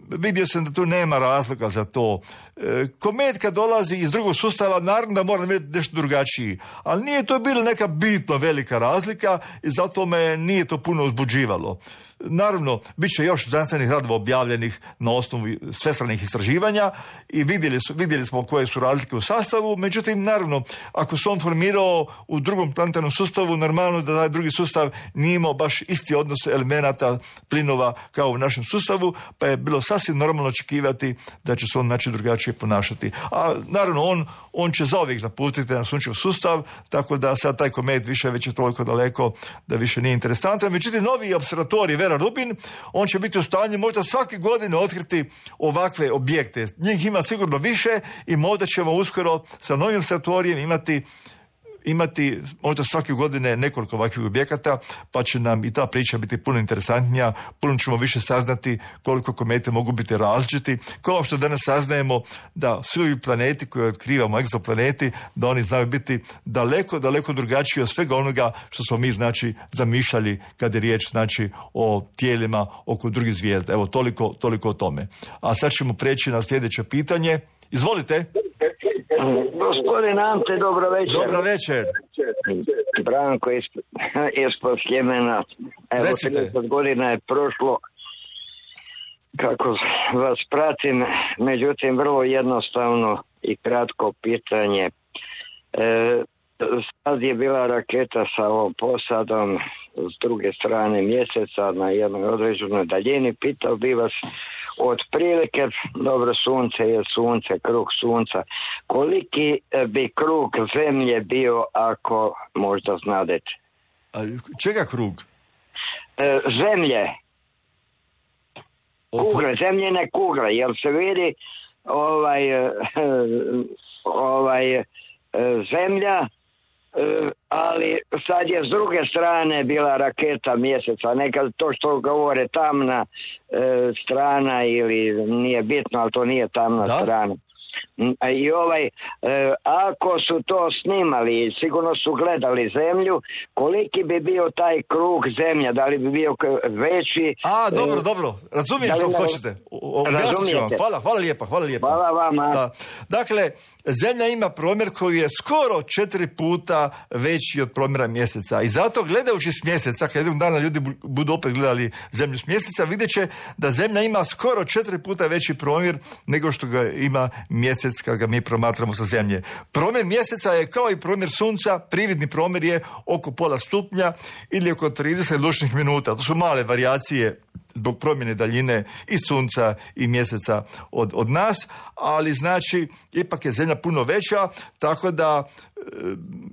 vidio sam da tu nema razloga za to. Komet kad dolazi iz drugog sustava, naravno da mora biti nešto drugačiji, ali nije to bila neka bitno velika razlika i zato me nije to puno uzbuđivalo. Naravno, bit će još znanstvenih radova objavljenih na osnovu svestranih istraživanja i vidjeli smo koje su razlike u sastavu, međutim, naravno, ako se on formirao u drugom planetarnom sustavu, normalno da taj drugi sustav nije imao baš isti odnos elemenata, plinova kao u našem sustavu, pa je bilo sasvim normalno očekivati da će se on drugačije ponašati. A naravno, on će zauvijek napustiti na sunčev sustav, tako da sad taj komet već je toliko daleko da više nije interesantan. Međutim, novi observatorij Vera Rubin, on će biti u stanju možda svake godine otkriti ovakve objekte. Njih ima sigurno više i možda ćemo uskoro sa novim observatorijem imati možda svake godine nekoliko ovakvih objekata, pa će nam i ta priča biti puno interesantnija, puno ćemo više saznati koliko komete mogu biti različiti, kao što danas saznajemo da svi planeti koje otkrivamo, egzoplaneti, da oni znaju biti daleko, daleko drugačiji od svega onoga što smo mi, znači, zamišljali kad je riječ, znači, o tijelima oko drugih zvijezda. Evo, toliko o tome. A sad ćemo preći na sljedeće pitanje. Izvolite. Gospodin Ante, dobro večer. Dobro večer. Branko ispod Sljemena. Evo, 30 godina je prošlo kako vas pratim, međutim, vrlo jednostavno i kratko pitanje. Sad je bila raketa sa ovom posadom s druge strane mjeseca na jednoj određenoj daljini. Pitao bi vas, otprilike, dobro, sunce je sunce, krug sunca, koliki bi krug zemlje bio, ako možda znadete? Čega krug? Zemlje. Kugle, zemljene kugle, jel se vidi zemlja, ali sad je s druge strane bila raketa mjeseca, nekad to što govore tamna strana ili nije bitno, ali to nije tamna strana. I ako su to snimali, sigurno su gledali zemlju, koliki bi bio taj krug zemlja, da li bi bio veći? Dobro, razumijem što hoćete. Razumijete. Hvala lijepa. Hvala vama. Da. Dakle, zemlja ima promjer koji je skoro 4 puta veći od promjera mjeseca i zato gledajući s mjeseca, kad jednog dana ljudi budu opet gledali zemlju s mjeseca, vidjet će da zemlja ima skoro 4 puta veći promjer nego što ga ima mjesec mjesec kad ga mi promatramo sa zemlje. Promjer mjeseca je kao i promjer sunca, prividni promjer je oko pola stupnja ili oko 30 lučnih minuta. To su male varijacije zbog promjene daljine i sunca i mjeseca od nas, ali znači ipak je zemlja puno veća, tako da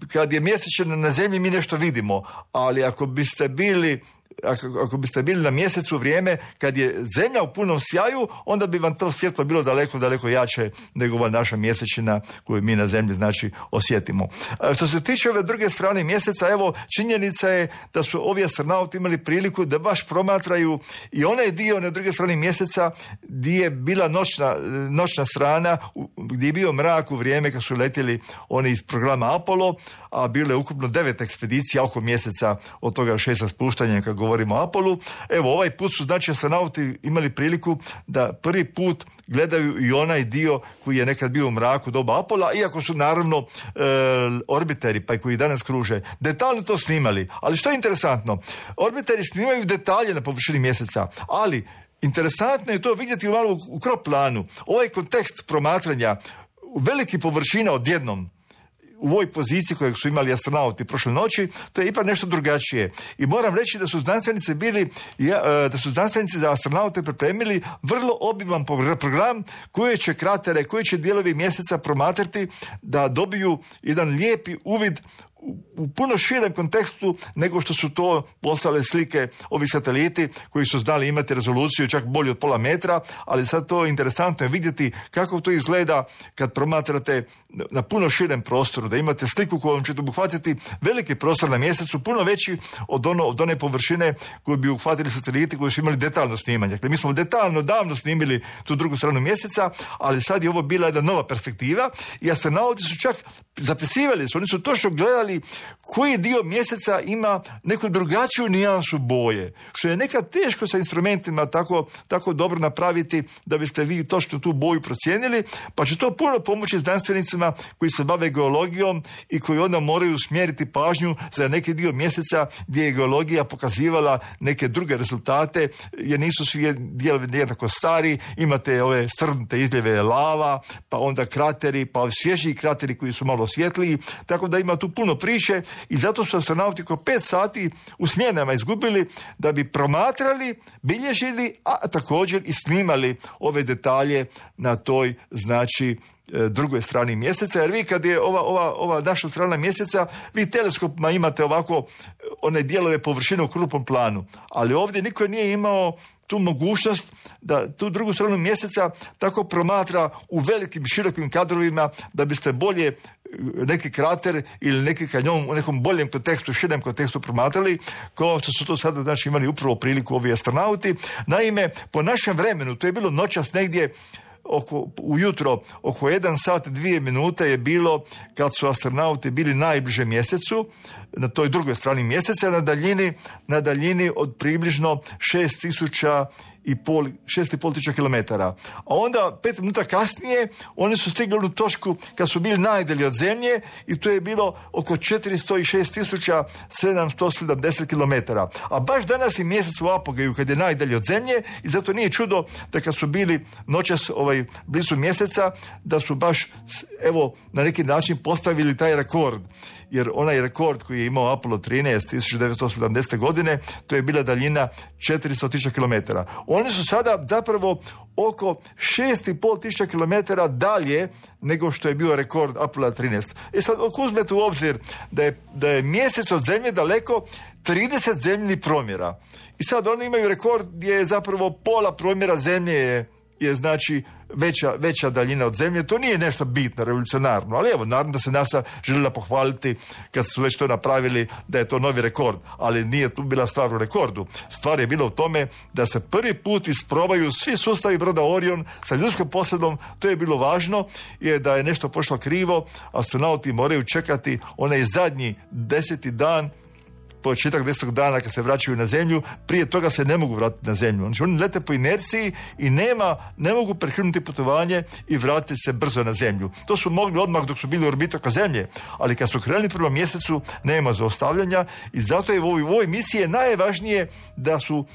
kad je mjesečina na zemlji mi nešto vidimo, ali ako biste bili na mjesecu vrijeme kad je zemlja u punom sjaju, onda bi vam to svjetlo bilo daleko, daleko jače nego ova naša mjesečina koju mi na zemlji znači osjetimo. Što se tiče ove druge strane mjeseca, evo činjenica je da su ovi astronauti imali priliku da baš promatraju i onaj dio na druge strane mjeseca gdje je bila noćna strana, gdje je bio mrak u vrijeme kad su letjeli oni iz programa Apollo, a bilo je ukupno 9 ekspedicija oko mjeseca, od toga 6 spuštanja kad govorimo o Apollu. Evo, ovaj put su znači astronauti imali priliku da prvi put gledaju i onaj dio koji je nekad bio u mraku doba Apolla, iako su naravno orbiteri, pa i koji danas kruže, detaljno to snimali. Ali što je interesantno? Orbiteri snimaju detalje na površini mjeseca, ali interesantno je to vidjeti malo u krop planu. Ovaj kontekst promatranja velikih površina odjednom u ovoj poziciji kojeg su imali astronauti prošle noći, to je ipak nešto drugačije. I moram reći da su znanstvenici za astronaute pripremili vrlo obiman program koje će kratere, koji će dijelovi mjeseca promatrati da dobiju jedan lijepi uvid u puno širem kontekstu nego što su to poslale slike ovi sateliti koji su znali imati rezoluciju čak bolju od pola metra, ali sad to je interesantno vidjeti kako to izgleda kad promatrate na puno širem prostoru, da imate sliku kojom ćete obuhvatiti veliki prostor na mjesecu, puno veći od one površine koju bi uhvatili sateliti koji su imali detaljno snimanje. Dakle, mi smo detaljno davno snimili tu drugu stranu mjeseca, ali sad je ovo bila jedna nova perspektiva i astronauti su čak zapisivali, oni su točno gledali koji dio mjeseca ima neku drugačiju nijansu boje, što je nekad teško sa instrumentima tako dobro napraviti da biste vi točno tu boju procijenili, pa će to puno pomoći znanstvenicima koji se bave geologijom i koji onda moraju usmjeriti pažnju za neki dio mjeseca gdje je geologija pokazivala neke druge rezultate, jer nisu svi dijelovi jednako stari, imate ove strnute izljeve lava, pa onda krateri, pa svježiji krateri koji su malo svjetliji, tako da ima tu puno priče i zato su astronauti oko 5 sati u smjenama izgubili da bi promatrali, bilježili, a također i snimali ove detalje na toj, znači, drugoj strani mjeseca, jer vi kad je ova naša strana mjeseca, vi teleskopima imate ovako one dijelove površine u krupnom planu, ali ovdje niko nije imao tu mogućnost da tu drugu stranu mjeseca tako promatra u velikim, širokim kadrovima da biste bolje neki krater ili neki kanjon u nekom boljem kontekstu, širem kontekstu promatrali, kao što su to sada znači imali upravo priliku ovi astronauti. Naime, po našem vremenu, to je bilo noćas negdje ujutro, oko 1 sat 2 minute je bilo kad su astronauti bili najbliže mjesecu, na toj drugoj strani mjeseca, na daljini od približno 6,5 tisuća kilometara. A onda 5 minuta kasnije oni su stigli u točku kad su bili najdalje od zemlje i to je bilo oko 406.770 kilometara. A baš danas je mjesec u apogaju kad je najdalje od zemlje i zato nije čudo da kad su bili noćas blizu mjeseca da su baš na neki način postavili taj rekord. Jer onaj rekord koji je imao Apollo 13 1970. godine, to je bila daljina 400.000 kilometara. Oni su sada zapravo oko 6,5 tisuća kilometara dalje nego što je bio rekord Apollo 13. I sad ako uzmete u obzir da je mjesec od zemlje daleko 30 zemljinih promjera. I sad oni imaju rekord gdje je zapravo pola promjera zemlje je znači veća daljina od zemlje. To nije nešto bitno, revolucionarno, ali evo, naravno da se NASA željela pohvaliti kad su već to napravili da je to novi rekord, ali nije tu bila stvar u rekordu. Stvar je bila u tome da se prvi put isprobaju svi sustavi broda Orion sa ljudskom posadom. To je bilo važno, jer da je nešto pošlo krivo, astronauti moraju čekati onaj zadnji 10. dan, početak 10. dana kad se vraćaju na zemlju, prije toga se ne mogu vratiti na zemlju. Znači oni lete po inerciji i ne mogu prekinuti putovanje i vratiti se brzo na zemlju. To su mogli odmah dok su bili u orbitu oko zemlje, ali kad su krenuli prema mjesecu nema zaustavljanja i zato je u ovoj misiji najvažnije da su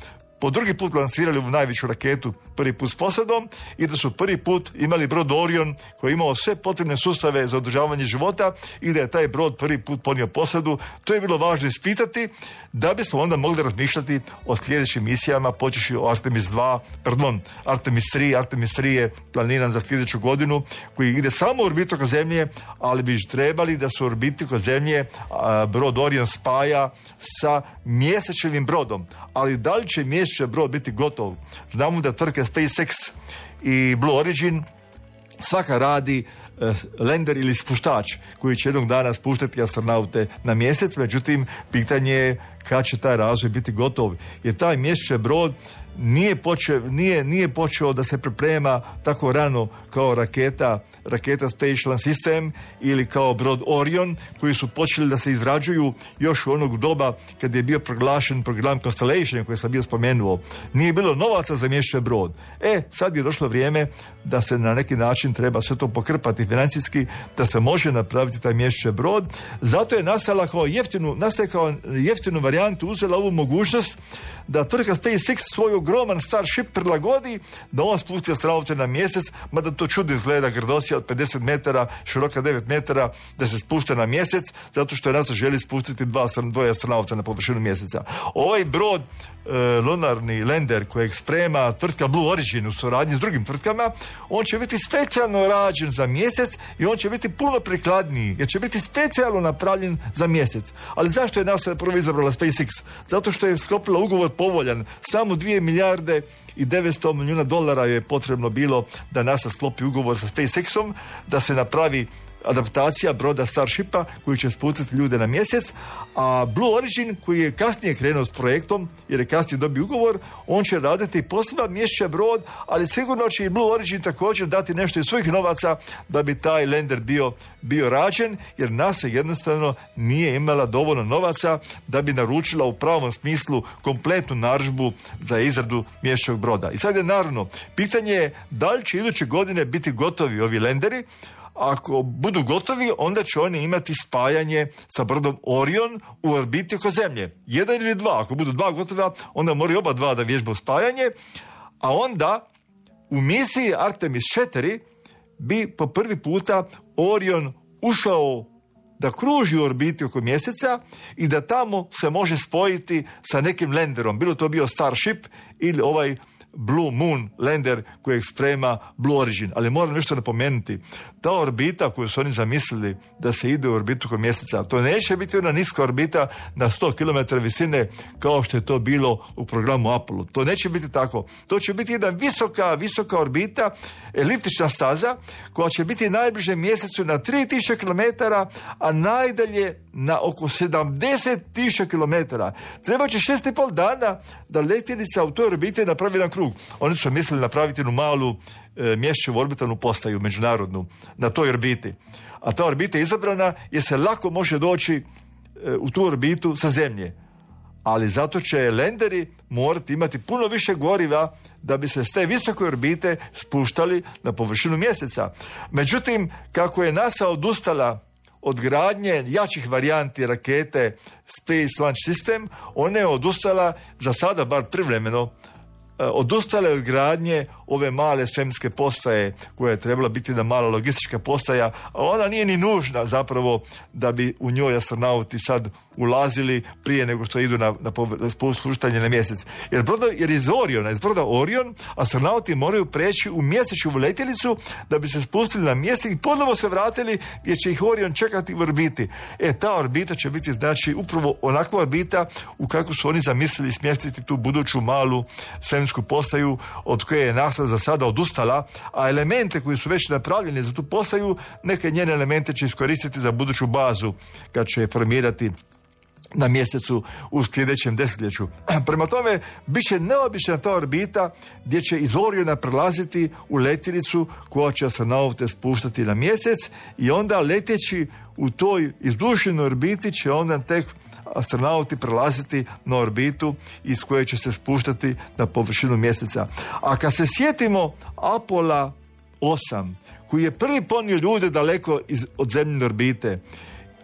po drugi put lansirali u najveću raketu, prvi put s posadom, i da su prvi put imali brod Orion koji je imao sve potrebne sustave za održavanje života i da je taj brod prvi put ponio posadu. To je bilo važno ispitati da bismo onda mogli razmišljati o sljedećim misijama, počeši o Artemis 3. Artemis 3 je planiran za sljedeću godinu, koji ide samo u orbitu oko Zemlje, ali bi trebali da se u orbiti oko Zemlje brod Orion spaja sa mjesečevim brodom. Ali da li će mjesečev brod biti gotov? Znamo da tvrtke SpaceX i Blue Origin svaka radi lender ili spuštač koji će jednog dana spuštati astronaute na mjesec, međutim, pitanje je kad će taj razvoj biti gotov. Jer taj mjesečev brod nije počeo da se priprema tako rano kao raketa Space Launch System ili kao brod Orion, koji su počeli da se izrađuju još u onog doba kad je bio proglašen program Constellation koji sam bio spomenuo. Nije bilo novaca za mjesečev brod. Sad je došlo vrijeme da se na neki način treba sve to pokrpati financijski, da se može napraviti taj mjesečev brod. Zato je nastala kao jeftinu varijantu, uzela ovu mogućnost da tvrtka SpaceX svoj ogroman Starship prilagodi da on spusti astronaute na mjesec, mada to čudno izgleda, grdosija od 50 metara, široka 9 metara, da se spušta na mjesec, zato što NASA želi spustiti dvoje astronauta na površinu mjeseca. Ovaj brod, lunarni lander kojeg sprema tvrtka Blue Origin u suradnji s drugim tvrtkama, on će biti specijalno rađen za mjesec i on će biti puno prikladniji, jer će biti specijalno napravljen za mjesec. Ali zašto je NASA prvo izabrala SpaceX? Zato što je sklopila ugovor povoljan. Samo 2 milijarde i 900 milijuna dolara je potrebno bilo da NASA sklopi ugovor sa SpaceX-om, da se napravi adaptacija broda Starshipa koji će spustiti ljude na mjesec, a Blue Origin koji je kasnije krenuo s projektom, jer je kasnije dobio ugovor, on će raditi poseban mjesečev brod, ali sigurno će i Blue Origin također dati nešto iz svojih novaca da bi taj lander bio rađen, jer NASA jednostavno nije imala dovoljno novaca da bi naručila u pravom smislu kompletnu narudžbu za izradu mjesečevog broda. I sad je naravno, pitanje je da li će iduće godine biti gotovi ovi landeri. Ako budu gotovi, onda će oni imati spajanje sa brodom Orion u orbiti oko Zemlje. 1 ili 2. Ako budu 2 gotova, onda moraju oba 2 da vježbaju spajanje, a onda u misiji Artemis 4 bi po prvi puta Orion ušao da kruži u orbiti oko mjeseca i da tamo se može spojiti sa nekim landerom. Bilo to bio Starship ili ovaj Blue Moon lander kojeg sprema Blue Origin. Ali moram nešto napomenuti. Ta orbita koju su oni zamislili da se ide u orbitu oko mjeseca, to neće biti ona niska orbita na 100 km visine kao što je to bilo u programu Apollo. To neće biti tako. To će biti jedna visoka orbita, eliptična staza koja će biti najbliže mjesecu na 3000 km, a najdalje na oko 70.000 km. Treba će 6,5 dana da letjelica u toj orbiti napravi jedan krug. Oni su mislili napraviti jednu malu mjesečevu orbitalnu postaju međunarodnu na toj orbiti. A ta orbita je izabrana jer se lako može doći u tu orbitu sa Zemlje. Ali zato će landeri morati imati puno više goriva da bi se s te visoke orbite spuštali na površinu mjeseca. Međutim, kako je NASA odustala od gradnje jačih varijanti rakete Space Launch System, ona je odustala, za sada bar privremeno, odustale od gradnje ove male svemirske postaje koja je trebala biti jedna mala logistička postaja, a ona nije ni nužna zapravo da bi u njoj astronauti sad ulazili prije nego što idu na spuštanje na mjesec. Jer iz broda Orion astronauti moraju preći u mjesečevu letjelicu da bi se spustili na mjesec i ponovo se vratili gdje će ih Orion čekati u orbiti. Ta orbita će biti znači upravo onakva orbita u kakvu su oni zamislili smjestiti tu buduću malu svemirsku postaju od koje je NASA za sada odustala, a elemente koji su već napravljeni za tu postaju, neke njene elemente će iskoristiti za buduću bazu kad će je formirati na mjesecu u sljedećem desetljeću. Prema tome, bit će neobična ta orbita gdje će iz Oriona prelaziti u letjelicu koja će astronaute spuštati na mjesec i onda leteći u toj izdušenoj orbiti će onda tek astronauti prelaziti na orbitu iz koje će se spuštati na površinu mjeseca. A kad se sjetimo Apollo 8, koji je prvi ponio ljude daleko od zemljine orbite,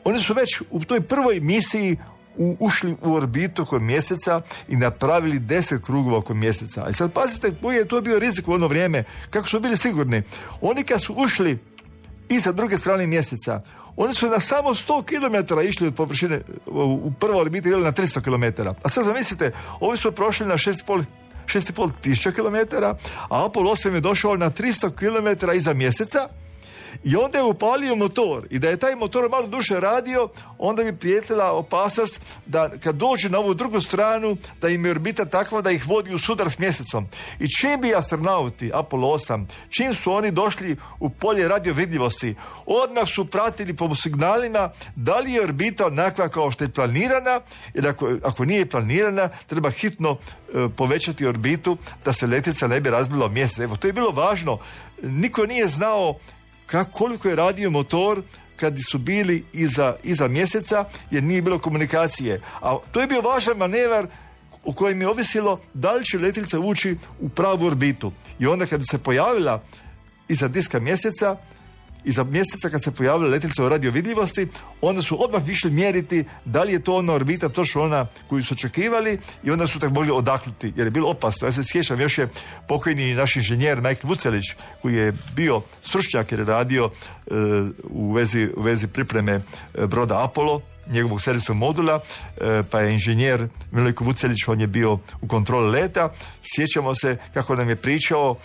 oni su već u toj prvoj misiji ušli u orbitu oko mjeseca i napravili 10 krugova oko mjeseca. I sad pazite koji je to bio rizik u ono vrijeme, kako su bili sigurni. Oni kad su ušli i sa druge strane mjeseca, oni su na samo 100 km išli od površine, u prvoj orbiti bili na 300 km. A sad zamislite, ovi su prošli na 6,5 tisuća km, a Apollo 8 je došao na 300 km iza mjeseca i onda je upalio motor. I da je taj motor malo duže radio, onda bi prijetila opasnost da kad dođe na ovu drugu stranu, da im je orbita takva da ih vodi u sudar s mjesecom. I čim bi astronauti Apollo 8, čim su oni došli u polje radiovidljivosti, odmah su pratili po signalima da li je orbita onakva kao što je planirana, jer ako nije planirana, treba hitno povećati orbitu da se letjelica ne bi razbila o mjesec. Evo, to je bilo važno. Niko nije znao koliko je radio motor kad su bili iza mjeseca, jer nije bilo komunikacije. A to je bio važan manevar u kojem je ovisilo da li će letjelica ući u pravu orbitu. I onda kad se pojavila iza diska mjeseca, iza mjeseca kad se pojavila letjelica u radiovidljivosti, onda su odmah išli mjeriti da li je to ona orbita, točno ona koju su očekivali, i onda su tako mogli odahnuti, jer je bilo opasno. Ja se sjećam, još je pokojni naš inženjer Michael Vucelić, koji je bio stručnjak jer je radio u vezi pripreme broda Apollo, njegovog serijskog modula, pa je inženjer Milojko Vucelić, on je bio u kontroli leta. Sjećamo se kako nam je pričao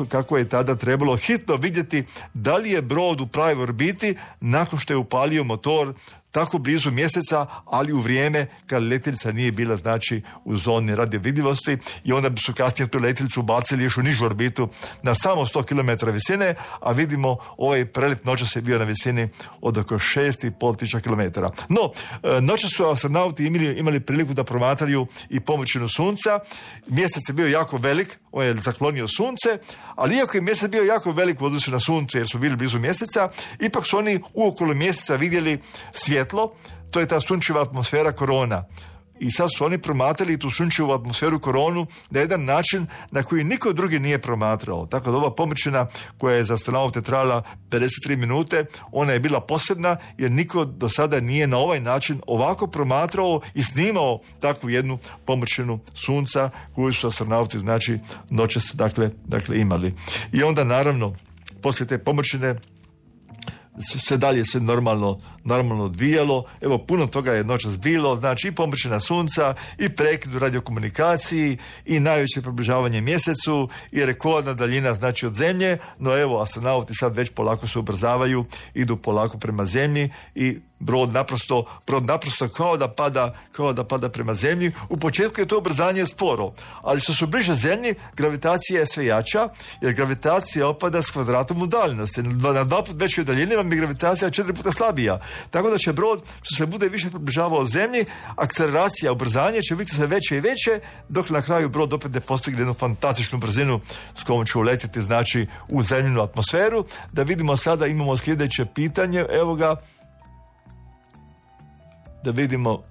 kako je tada trebalo hitno vidjeti da li je brod u pravoj orbiti nakon što je upalio motor tako blizu mjeseca, ali u vrijeme kad letjelica nije bila, znači, u zoni radiovidljivosti, i onda bi su kasnije tu letjelicu bacili još u nižu orbitu na samo 100 km visine, a vidimo ovaj prelet noćas je bio na visini od oko 6.500 km. No, noćas su astronauti imali priliku da promatraju i površinu Sunca. Mjesec je bio jako velik, on je zaklonio Sunce, ali iako je mjesec bio jako velik u odnosu na Sunce jer su bili blizu mjeseca, ipak su oni uokolo mjeseca vidjeli svjetlo, to je ta sunčeva atmosfera korona. I sad su oni promatrali tu sunčevu atmosferu koronu na jedan način na koji niko drugi nije promatrao. Tako da ova površina koja je za astronaute trajala 53 minute, ona je bila posebna jer niko do sada nije na ovaj način ovako promatrao i snimao takvu jednu površinu Sunca koju su astronauti, znači, noćas dakle imali. I onda naravno poslije te površine sve dalje se normalno odvijalo. Evo, puno toga je noćas bilo, znači i površina Sunca, i prekid u radiokomunikaciji, i najveće približavanje mjesecu, i rekordna daljina, znači, od Zemlje. No evo, astronauti sad već polako se ubrzavaju, idu polako prema Zemlji i brod naprosto kao da pada prema Zemlji. U početku je to ubrzanje sporo, ali što su bliže Zemlji, gravitacija je sve jača, jer gravitacija opada s kvadratom udaljenosti. Na 2 put većoj daljini vam je gravitacija 4 puta slabija. Tako da će brod, što se bude više približavao Zemlji, akceleracija, ubrzanje će biti sve veće i veće, dok na kraju brod opet ne postigne jednu fantastičnu brzinu s kojom će uletiti, znači, u zemljinu atmosferu. Da vidimo sada, imamo sljedeće pitanje, evo ga. Da vidimo,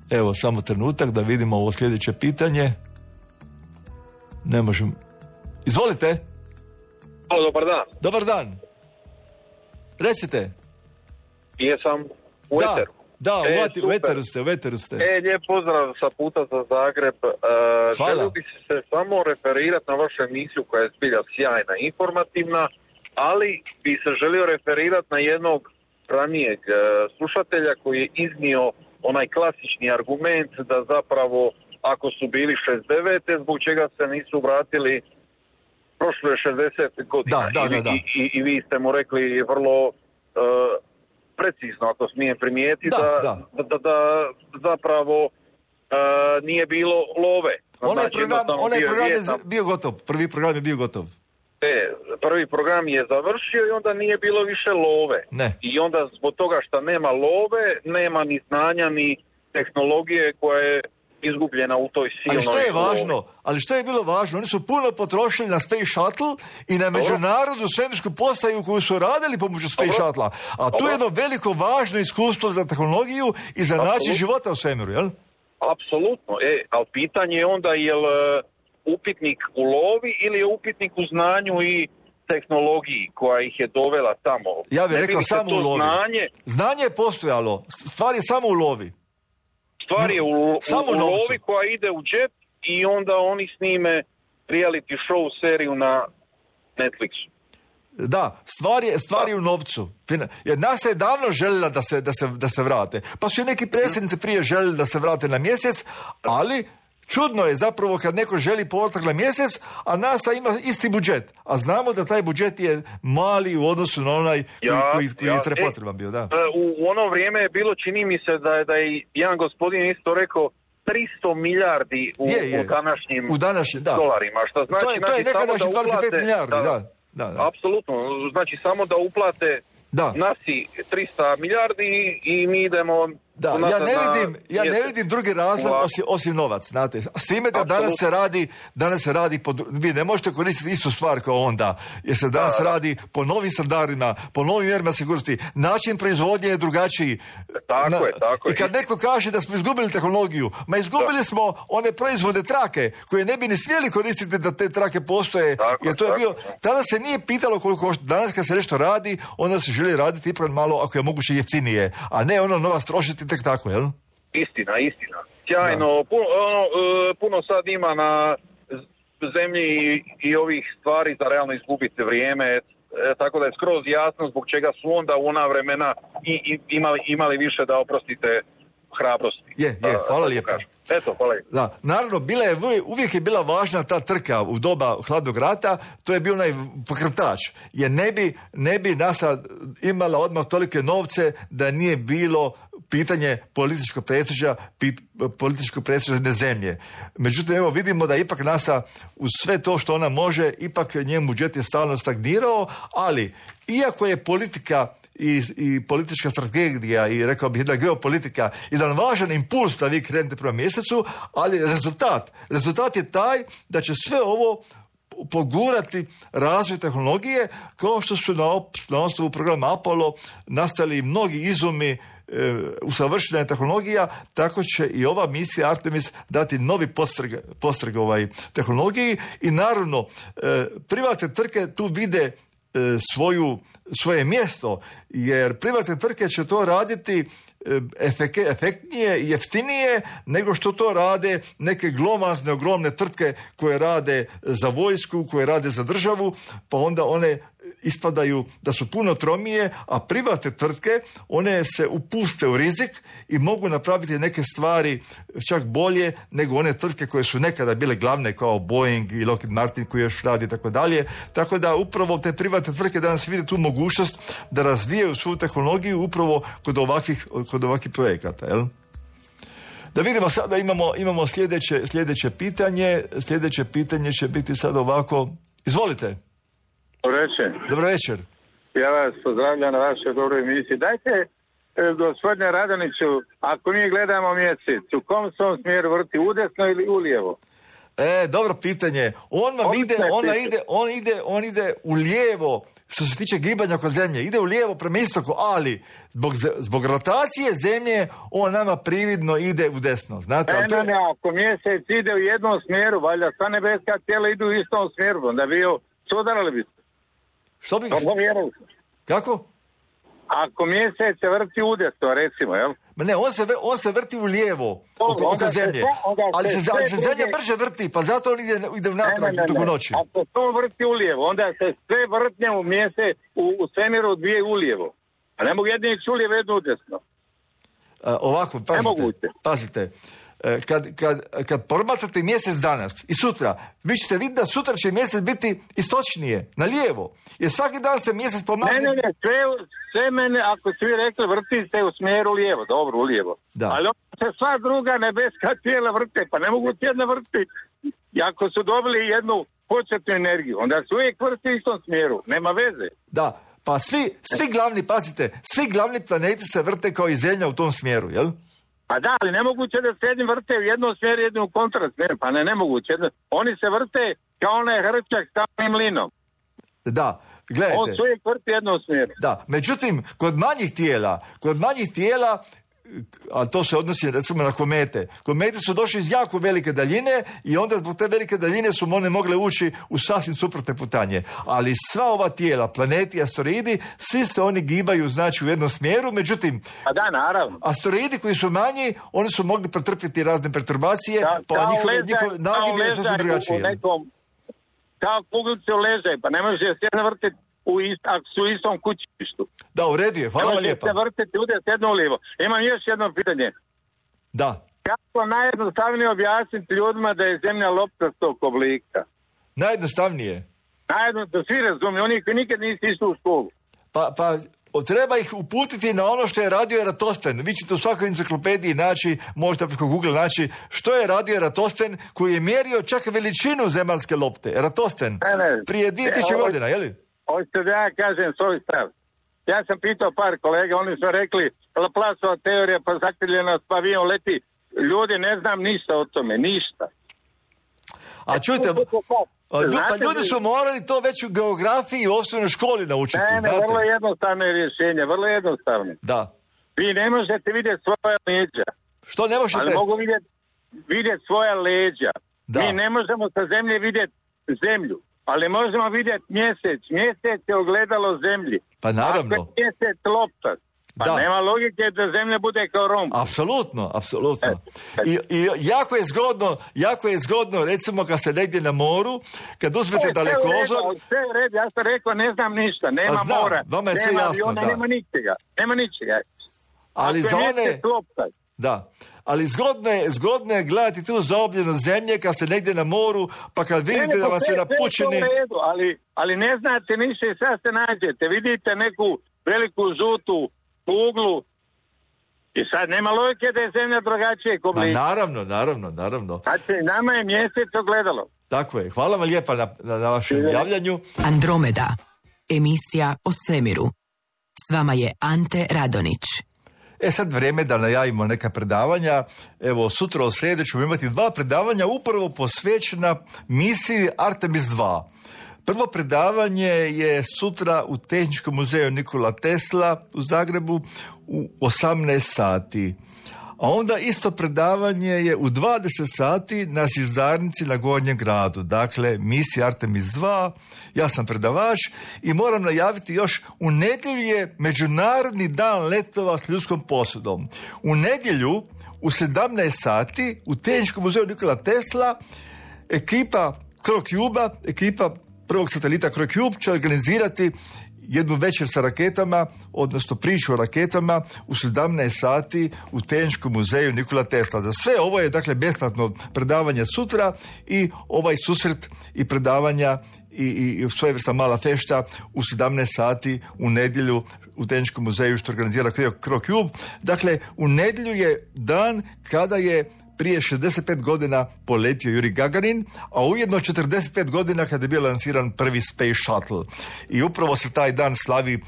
evo, samo trenutak da vidimo ovo sljedeće pitanje. Ne možem. Izvolite. Dobar dan. Dobar dan. Recite. Jesam u eteru. Da, u eteru ste. Lijep pozdrav sa puta za Zagreb. Želio bih se samo referirati na vašu emisiju koja je zbilja sjajna i informativna, ali bih se želio referirati na jednog ranijeg slušatelja koji je iznio onaj klasični argument da zapravo ako su bili 69. zbog čega se nisu vratili prošlo je 60 godina. Da. I vi ste mu rekli vrlo precizno, ako smijem primijetiti, da zapravo nije bilo love. Onaj program je bio gotov. Prvi program je bio gotov. Prvi program je završio i onda nije bilo više love. Ne. I onda zbog toga što nema love, nema ni znanja ni tehnologije koja je izgubljena u toj silnoj Ali što je bilo važno? Oni su puno potrošili na Space Shuttle i na međunarodnu svemirsku postaju koju su radili pomoću Space Shuttle. A tu je jedno veliko važno iskustvo za tehnologiju i za način života u svemiru, jel? Apsolutno. Ali pitanje je onda je li upitnik u lovi ili je upitnik u znanju i tehnologiji koja ih je dovela tamo. Ja bih rekao samo u lovi. Znanje je postojalo, stvar je samo u lovi. Stvar je u lovi koja ide u džep i onda oni snime reality show seriju na Netflixu. Da, stvar je u novcu. Jer nas je davno željela da se vrate. Pa su i neki predsjednici prije željeli da se vrate na mjesec, ali čudno je zapravo kad neko želi povratak na mjesec, a NASA ima isti budžet. A znamo da taj budžet je mali u odnosu na onaj koji je potreban bio. Da. U ono vrijeme je bilo, čini mi se da je jedan gospodin isto rekao 300 milijardi u današnjim dolarima. Što znači, to je nekadašnji 25 milijardi, da. Apsolutno, znači samo da uplate nasi 300 milijardi i mi idemo... Da, ja ne vidim drugi razlog osim novac, znate. S time da danas se radi vi ne možete koristiti istu stvar kao onda, jer se danas radi po novim standardima, po novim mjerama sigurnosti, način proizvodnje je drugačiji. Tako je. I kad neko kaže da smo izgubili tehnologiju, izgubili smo one proizvode trake, koje ne bi ni smjeli koristiti da te trake postoje, jer to je bio, tada se nije pitalo koliko košta. Danas kad se nešto radi, onda se želi raditi ipak malo, ako je moguće jeftinije, a ne novac trošiti tek tako, jel? Istina. Sjajno. Puno sad ima na zemlji i ovih stvari za realno izgubiti vrijeme, tako da je skroz jasno zbog čega su onda u ona vremena imali više, da oprostite, hrabrosti. Hvala lijepo. Eto, hvala. Da, naravno, uvijek je bila važna ta trka u doba hladnog rata, to je bio onaj pokretač, jer ne bi NASA imala odmah tolike novce da nije bilo pitanje političkog prestiža jedne zemlje. Međutim, evo vidimo da ipak NASA uz sve to što ona može, ipak njen budžet je stalno stagnirao, ali iako je politika i politička strategija i rekao bih jedna geopolitika jedan važan impuls da vi krenete prema mjesecu, ali rezultat je taj da će sve ovo pogurati razvoj tehnologije, kao što su na osnovu programa Apollo nastali mnogi izumi usavršenja tehnologija, tako će i ova misija Artemis dati novi postreg tehnologiji i naravno privatne tvrtke tu vide svoje mjesto, jer privatne tvrtke će to raditi efektnije i jeftinije nego što to rade neke glomazne, ogromne tvrtke koje rade za vojsku, koje rade za državu, pa onda one ispadaju da su puno tromije, a privatne tvrtke, one se upuste u rizik i mogu napraviti neke stvari čak bolje nego one tvrtke koje su nekada bile glavne kao Boeing i Lockheed Martin koji još radi i tako dalje. Tako da upravo te privatne tvrtke danas vide tu mogućnost da razvijaju svu tehnologiju upravo kod ovakvih projekata, jel? Da vidimo sada, imamo sljedeće pitanje. Sljedeće pitanje će biti sad ovako. Izvolite. Dobro večer. Ja vas pozdravljam na vašoj dobroj emisiji. Dajte, gospodine Radoniću, ako mi gledamo mjesec, u kom se on smjeru vrti, udesno ili ulijevo? Dobro pitanje. On ide u lijevo, što se tiče gibanja oko zemlje. Ide u lijevo prema istoku, ali zbog rotacije zemlje on nama prividno ide u desno. Znate, ako mjesec ide u jednom smjeru, valjda sva nebeska tijela idu u istom smjeru, onda bi sudarali bi se. Što bi? Kako? Ako mjesec se vrti udesno, recimo, jel? Ne, on se vrti u lijevo oko zemlje, ali se zemlja brže vrti, pa zato on ide natrag u noći. Ako to vrti u lijevo, onda se sve vrtnje u mjesec u svemiru dvije u lijevo. A ne mogu jedni ići u lijevo, jedno udesno. Ovako, pazite. Kad promatrate mjesec danas i sutra, vi ćete vidjeti da sutra će mjesec biti istočnije, na lijevo. Jer svaki dan se mjesec pomakne... Ne, sve mene, ako svi rekli, vrti se u smjeru lijevo, dobro, u lijevo. Da. Ali se sva druga nebeska tijela vrte, pa ne mogu tjedna vrti. I ako su dobili jednu početnu energiju, onda se uvijek vrti u istom smjeru, nema veze. Da, pa svi glavni planeti se vrte kao i Zemlja u tom smjeru, jel? Pa da, ali nemoguće da se jedni vrte u jednom smjeru, jedni u kontrasmjeru. Pa nemoguće. Oni se vrte kao onaj hrčak s tamnim linom. Da, gledajte. On se uvijek vrti jednom smjeru. Da, međutim, kod manjih tijela a to se odnosi recimo na komete. Komete su došli iz jako velike daljine i onda zbog te velike daljine su one mogle ući u sasvim suprotne putanje. Ali sva ova tijela, planeti, asteroidi, svi se oni gibaju znači u jednom smjeru, međutim asteroidi koji su manji, oni su mogli pretrpjeti razne perturbacije, pa njihove nagibine je sasvim drugačije. Kao kuglice u ležaj, pa ne može se vrtiti ako su u istom kućištu. Da, u redu je, hvala vam lijepa. Ne može se vrtiti udje jedno ulijevo. Imam još jedno pitanje. Da. Kako najjednostavnije objasniti ljudima da je zemlja loptastog oblika? Najjednostavnije? Da svi razumiju, oni koji nikad nisi išli u školu. Pa treba ih uputiti na ono što je radio Eratosfen. Vi ćete u svakoj enciklopediji naći, možda preko Google naći, što je radio Eratosfen koji je mjerio čak veličinu zemaljske lopte. Eratosfen, prije 2000 godina, je li? Hoćete da ja kažem svoj stav. Ja sam pitao par kolega, oni su rekli Laplaceova teorija, pa zakrivljenost, pa avion leti. Ljudi, ne znam ništa o tome, ništa. A čujte, pa ljudi su morali to već u geografiji i u osnovnoj školi naučiti. Ne, vrlo jednostavno je rješenje, vrlo jednostavno. Da. Vi ne možete vidjeti svoja leđa. Što ne možete? Ali mogu vidjeti svoja leđa. Da. Mi ne možemo sa zemlje vidjeti zemlju, ali možemo vidjeti mjesec. Mjesec je ogledalo zemlji. Pa naravno. Ako je mjesec loptac, pa nema logike da zemlja bude kao romb. Apsolutno. I jako je zgodno, recimo kad ste negdje na moru, kad uzmete dalekozor... Sve u redu, ja sam rekao, ne znam ništa, nema mora, vama je sve nema jasno, aviona, nema ničega. Ali za one... Da. Ali zgodno je gledati tu zaobljeno zemlje kad ste negdje na moru, pa kad vidite da vam se napučeni... Ali ne znate ništa i sad se nađete. Vidite neku veliku žutu kuglu i sad nema logike da je zemlja drugačije oblika. Naravno. Znači, nama je mjesec ogledalo. Tako je. Hvala vam lijepa na vašem javljanju. Andromeda. Emisija o svemiru. S vama je Ante Radonić. Sad vrijeme da najavimo neka predavanja. Evo, sutra u srijedu ćemo imati 2 predavanja upravo posvećena misiji Artemis 2. Prvo predavanje je sutra u Tehničkom muzeju Nikola Tesla u Zagrebu u 18 sati. A onda isto predavanje je u 20 sati na Zvjezdarnici na Gornjem gradu. Dakle, misija Artemis 2, ja sam predavač i moram najaviti još, u nedjelju je Međunarodni dan letova s ljudskom posudom. U nedjelju u 17 sati u Tehničkom muzeju Nikola Tesla ekipa CroCube, ekipa prvog satelita CroCube će organizirati jednu večer sa raketama, odnosno priču o raketama u 17 sati u Tehničkom muzeju Nikola Tesla. Za sve ovo je dakle besplatno predavanje sutra i ovaj susret i predavanja i svojevrsna mala fešta u 17 sati u nedjelju u Tehničkom muzeju što organizira CroCube. Dakle, u nedjelju je dan kada je prije 65 godina poletio Juri Gagarin, a ujedno 45 godina kada je bio lansiran prvi Space Shuttle. I upravo se taj dan slavi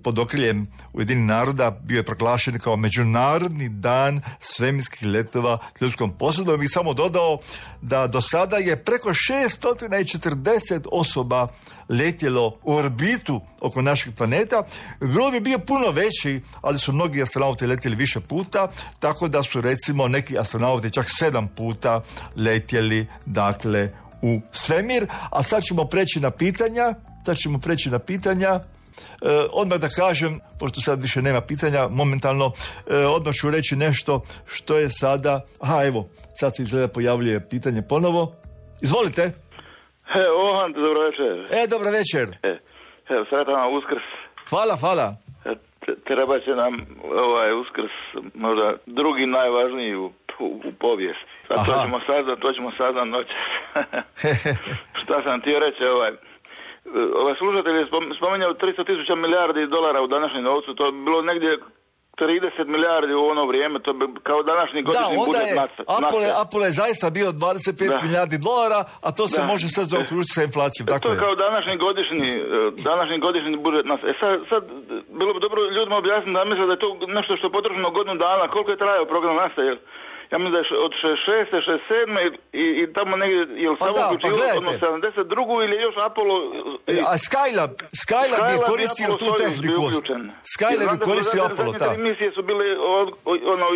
pod okriljem Ujedinjenih naroda, bio je proglašen kao Međunarodni dan svemirskih letova s ljudskom posudom i samo dodao da do sada je preko 640 osoba letjelo u orbitu oko našeg planeta. Broj bi bio puno veći, ali su mnogi astronauti letjeli više puta, tako da su recimo neki astronauti čak 7 puta letjeli dakle u svemir. A sad ćemo preći na pitanja. Odmah da kažem, pošto sad više nema pitanja momentalno, odmah ću reći nešto što je sada... Evo, sad se izgleda pojavljuje pitanje ponovo. Izvolite. Dobro večer. Dobro večer. Sretan vam Uskrs. Hvala. Treba će nam Uskrs možda drugi najvažniji u povijesti. To ćemo saznat noćas. Šta sam htio reći, slušatelj je spominjao 300.000 milijardi dolara u današnjem novcu, to je bilo negdje 30 milijardi u ono vrijeme, to bi kao današnji godišnji budžet NASA. Apollo je zaista bio 25 milijardi dolara, a to se može sad zaokružiti sa inflacijom. To je kao današnji godišnji budžet NASA. Sad bilo bi dobro ljudima objasniti da misle da je to nešto što je potrošeno godinu dana, koliko je trajao program NASA, ja mislim da je od 66. 67. i tamo negdje, je li samo uključilo ono 72. ili još Apollo... A Skylab je koristio tu tehniku. Skylab je koristio Apollo, da. Zadnje 3 misije su bile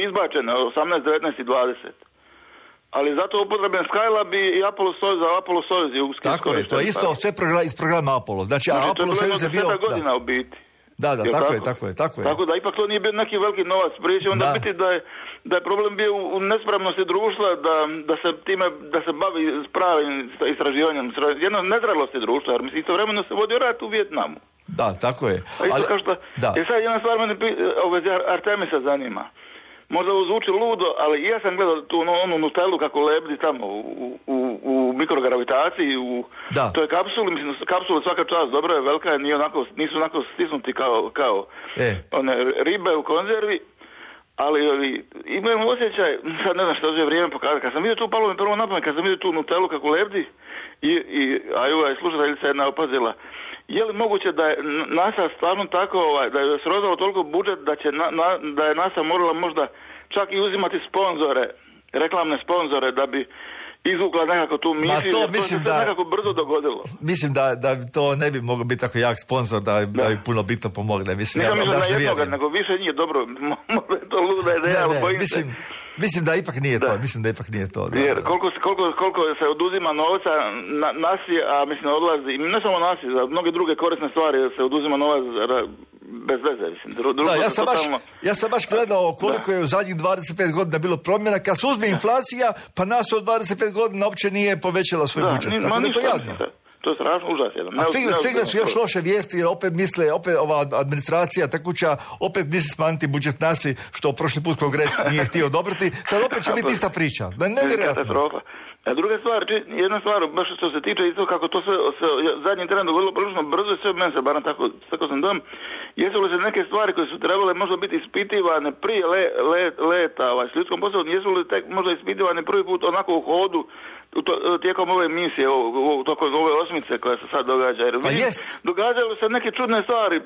izbačene, 18, 19 i 20. Ali zato upotrebljen Skylab i Apollo Soyuz je uski. Tako je, to je isto sve iz programa Apollo. Znači Apollo Soyuz je bio... To je bilo godina u biti. Da, tako je. Tako da ipak to nije bio neki veliki novac priče, onda biti da je problem bio u nespremnosti društva, da se bavi s pravim istraživanjem, jedno nezrelosti društva, jer mislim istovremeno se vodio rat u Vijetnamu. Da, tako je. I sad jedna stvar mene Artemisa zanima. Možda zvuči ludo, ali ja sam gledao tu onu Nutellu kako lebdi tamo u mikrogravitaciji, u toj kapsuli, mislim, kapsula svaka čast dobra je, velika je, nisu onako stisnuti kao one ribe u konzervi, ali imam osjećaj, sad ne znam što će vrijeme pokazati, kad sam vidio tu, palo mi prvo napamet, kad sam vidio tu Nutellu kako lebdi a slušateljica jedna opazila, je li moguće da je NASA stvarno tako, da je srozalo toliko budžet da je NASA morala možda čak i uzimati sponzore, reklamne sponzore da bi izvukla nekako tu misiju, to se nekako brzo dogodilo. Mislim da to ne bi mogao biti tako jak sponsor da bi puno bitno pomogne. Nisam mislio na jednoga, nego više nije dobro. Možda je to luda ideja, ali bojim se. Mislim da ipak nije to. Jer koliko se oduzima novca nasi, a mislim odlazi, ne samo nasi, za mnoge druge korisne stvari se oduzima novac bez veze. Ja sam baš gledao koliko je u zadnjih 25 godina bilo promjena. Kad se uzme inflacija, pa nas od 25 godina uopće nije povećala svoj budžet. Tako da je to jadno. To je strašno užasno. A stigle su još loše vijesti, jer opet ova administracija tekuća opet misli smanjiti budžet nasi, što prošli put Kongres nije htio odobriti. Sad opet će biti ista priča. Nevjerojatno. A druga stvar, jedna stvar, baš što se tiče isto kako to se zadnji tren dogodilo prilično brzo i sve meni se, barem tako sam dom, jesu li se neke stvari koje su trebale možda biti ispitivane prije leta s ljudskom posljedom, jesu li tek možda ispitivane prvi put onako u hodu tijekom ove misije, tokom ove osmice koja se sad događa. Jer događaju se neke čudne stvari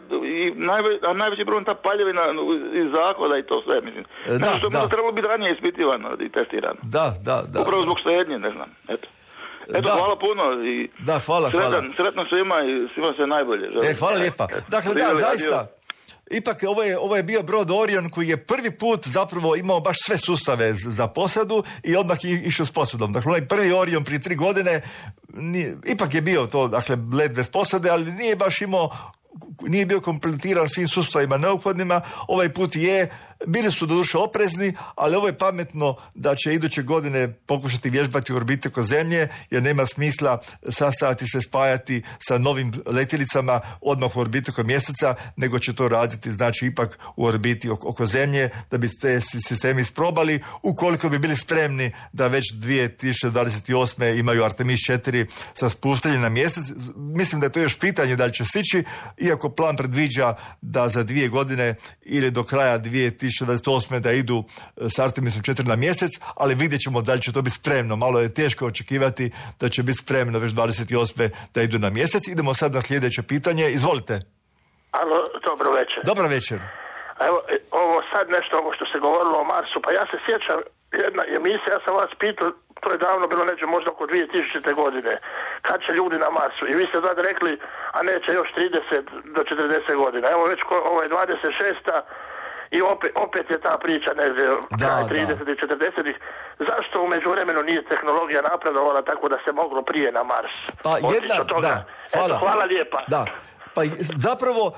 a najveći problem ta paljevina iz zahoda i to sve, mislim. Što bi trebalo biti ranije ispitivano i testirano. Da. Upravo zbog štednje, ne znam. Eto, hvala puno i hvala. Sretno svima i svima sve najbolje. Hvala lijepa. Dakle, zaista. Ipak ovo je bio brod Orion koji je prvi put zapravo imao baš sve sustave za posadu i odmah je išao s posadom. Dakle, onaj prvi Orion prije 3 godine ipak je bio to, dakle, let bez posade, ali nije bio kompletiran svim sustavima neophodnima. Ovaj put bili su doduše oprezni, ali ovo je pametno da će iduće godine pokušati vježbati u orbiti oko Zemlje, jer nema smisla sastajati se, spajati sa novim letjelicama odmah u orbiti oko Mjeseca, nego će to raditi, znači, ipak u orbiti oko Zemlje, da bi te sistemi isprobali, ukoliko bi bili spremni da već 2028. imaju Artemis 4 sa spuštanjem na Mjesec. Mislim da je to još pitanje da li će stići, iako plan predviđa da za 2 godine ili do kraja 2028. da idu s Artemisom 4 na Mjesec, ali vidjet ćemo da li će to biti spremno. Malo je teško očekivati da će biti spremno već 28. da idu na Mjesec. Idemo sad na sljedeće pitanje. Izvolite. Alo, dobro večer. Dobro večer. Evo, ovo sad nešto ovo što se govorilo o Marsu, pa ja se sjećam jedna emisija, ja sam vas pitao, to je davno bilo neće možda oko 2000. godine, kad će ljudi na Marsu. I vi ste tad rekli, a neće još 30 do 40 godina. Evo već ovo je 26. I opet je ta priča, ne znam, 30 i 40. Zašto u međuvremenu nije tehnologija napredovala tako da se moglo prije na Mars? Hvala lijepa. Da. Pa zapravo